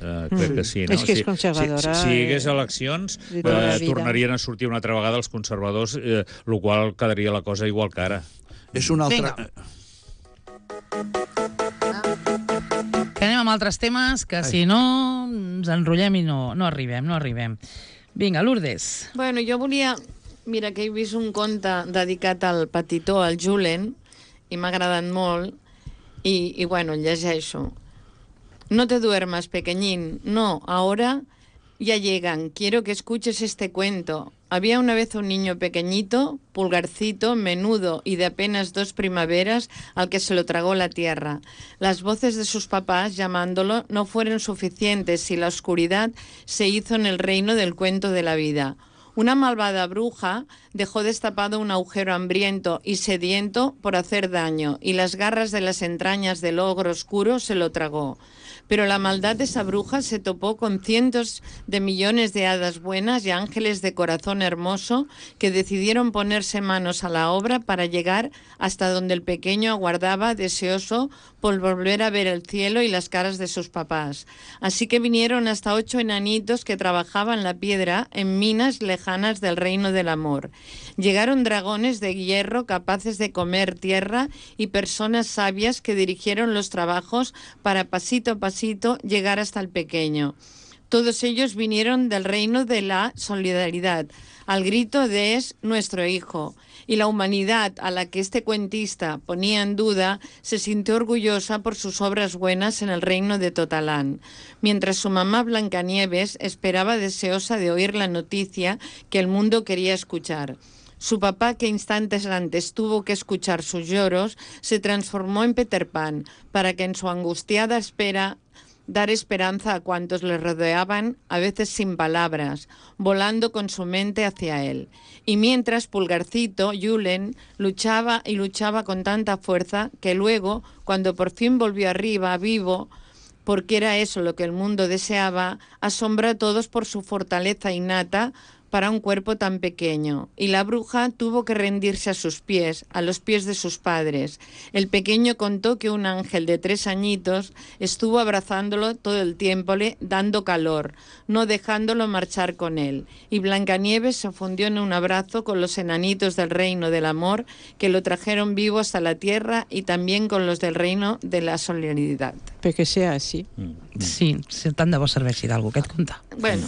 crec que sí, no? És que és conservadora. Si hi hagués eleccions, de tota la vida. tornarien a sortir una altra vegada els conservadors, el qual quedaria la cosa igual que ara. És una altra... Que anem amb altres temes, que si no ens enrotllem i no arribem. Vinga, Lourdes. Bueno, jo volia... Mira, que he vist un conte dedicat al petitó, al Julen, i m'ha agradat molt, y bueno, el llegeixo. No te duermas, pequeñín. No, ahora ya llegan. Quiero que escuches este cuento. Había una vez un niño pequeñito, pulgarcito, menudo y de apenas 2 primaveras, al que se lo tragó la tierra. Las voces de sus papás llamándolo no fueron suficientes y la oscuridad se hizo en el reino del cuento de la vida. Una malvada bruja dejó destapado un agujero hambriento y sediento por hacer daño, y las garras de las entrañas del ogro oscuro se lo tragó. Pero la maldad de esa bruja se topó con cientos de millones de hadas buenas y ángeles de corazón hermoso que decidieron ponerse manos a la obra para llegar hasta donde el pequeño aguardaba deseoso por volver a ver el cielo y las caras de sus papás. Así que vinieron hasta 8 enanitos que trabajaban la piedra en minas lejanas del reino del amor. Llegaron dragones de hierro capaces de comer tierra y personas sabias que dirigieron los trabajos para pasito a pasito llegar hasta el pequeño. Todos ellos vinieron del reino de la solidaridad, al grito de «es nuestro hijo». Y la humanidad a la que este cuentista ponía en duda se sintió orgullosa por sus obras buenas en el reino de Totalán, mientras su mamá Blancanieves esperaba deseosa de oír la noticia que el mundo quería escuchar. Su papá, que instantes antes tuvo que escuchar sus lloros, se transformó en Peter Pan para que en su angustiada espera dar esperanza a cuantos le rodeaban, a veces sin palabras, volando con su mente hacia él. Y mientras Pulgarcito, Julen, luchaba y luchaba con tanta fuerza que luego, cuando por fin volvió arriba, vivo, porque era eso lo que el mundo deseaba, asombró a todos por su fortaleza innata para un cuerpo tan pequeño, y la bruja tuvo que rendirse a sus pies, a los pies de sus padres. El pequeño contó que un ángel de 3 añitos estuvo abrazándolo todo el tiempo, dando calor, no dejándolo marchar con él, y Blancanieves se fundió en un abrazo con los enanitos del reino del amor que lo trajeron vivo hasta la tierra y también con los del reino de la solidaridad. Pero que sea así. Sí, tant de bo serveixi d'algú aquest conte. Bueno,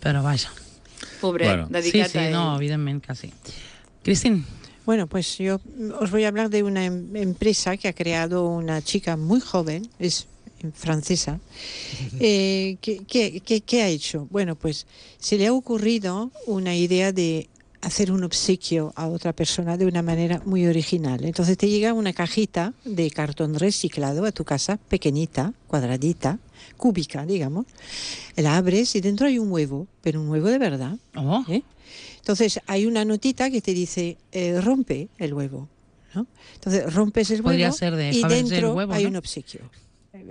Però vaja. pobre, Bueno. dedicat Sí, a él. no, evidentment que sí. Cristín, Bueno, pues yo os voy a hablar de una empresa que ha creado una chica muy joven, es francesa. ¿Qué ha hecho? Bueno, pues se le ha ocurrido una idea de hacer un obsequio a otra persona de una manera muy original. Entonces te llega una cajita de cartón reciclado a tu casa, pequeñita, cuadradita, cúbica, digamos. La abres y dentro hay un huevo, pero un huevo de verdad. oh, ¿eh? Entonces hay una notita que te dice rompe el huevo, ¿no? Entonces rompes el Podría huevo ser de y Fabergé dentro el huevo, hay ¿no? un obsequio.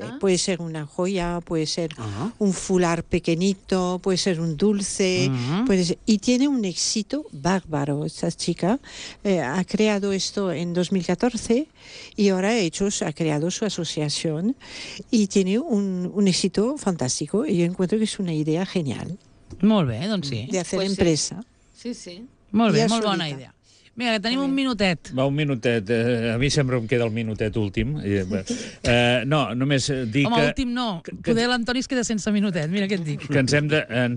Ah. Puede ser una joya, puede ser un fular pequeñito, puede ser un dulce, puede ser, y tiene un éxito bárbaro. Esta chica ha creado esto en 2014 y ahora ha creado su asociación y tiene un éxito fantástico. Y yo encuentro que es una idea genial molt bé, doncs sí. de hacer Pues sí. empresa. Sí, sí. Molt bé, Ja molt bona solita. idea. Mira, que tenim un minutet. Va, un minutet. A mi sempre em queda el minutet últim. No, només dir Home, que... últim no. Poder l'Antoni es queda sense minutet, mira què et dic. que ens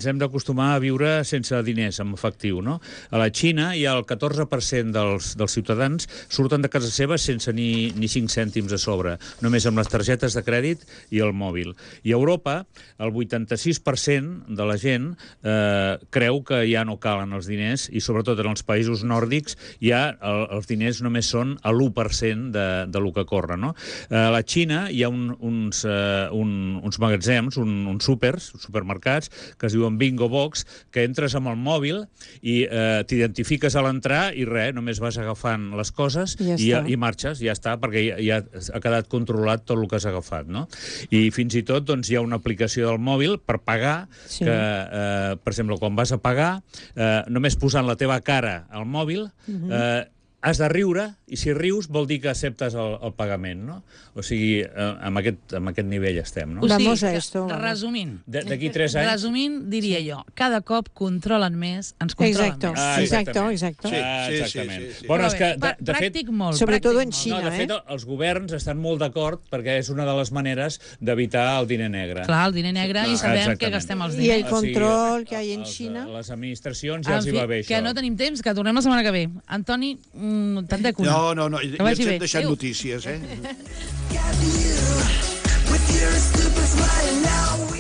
hem d'acostumar a viure sense diners en efectiu, no? A la Xina hi ha el 14% dels ciutadans surten de casa seva sense ni 5 cèntims a sobre, només amb les targetes de crèdit i el mòbil. I a Europa, el 86% de la gent creu que ja no calen els diners i sobretot en els països nòrdics ja els diners només són a l'1% de lo que corre, no? A la Xina hi ha uns magatzems, uns supermercats, que es diuen Bingo Box, que entres amb el mòbil i t'identifiques a l'entrar i res, només vas agafant les coses i marxes, ja està, perquè ja ha quedat controlat tot el que has agafat, no? I fins i tot doncs, hi ha una aplicació del mòbil per pagar, que, per exemple, quan vas a pagar, només posant la teva cara al mòbil, has de riure, i si rius vol dir que acceptes el pagament, no? O sigui, amb aquest nivell estem, no? Vamos a esto. Resumint. D'aquí 3 anys... Resumint, diria jo, cada cop controlen més, ens controlen Exacto, més. exacto. Exactament. Sí. Bueno, és que, de fet... Pràctic molt. Sobre todo en pràctic Xina. No, de fet, els governs estan molt d'acord perquè és una de les maneres d'evitar el diner negre. molt. Clar, el diner negre i sabem Exactament. que gastem els Y el diners. control que hay en China. Les administracions ja els hi va bé, això. Que no tenim temps, que tornem la setmana que ve. Antoni, tant de cuna. No, ja Que vagi ens bé. hem deixat Adéu. notícies, eh? With your stupid smile now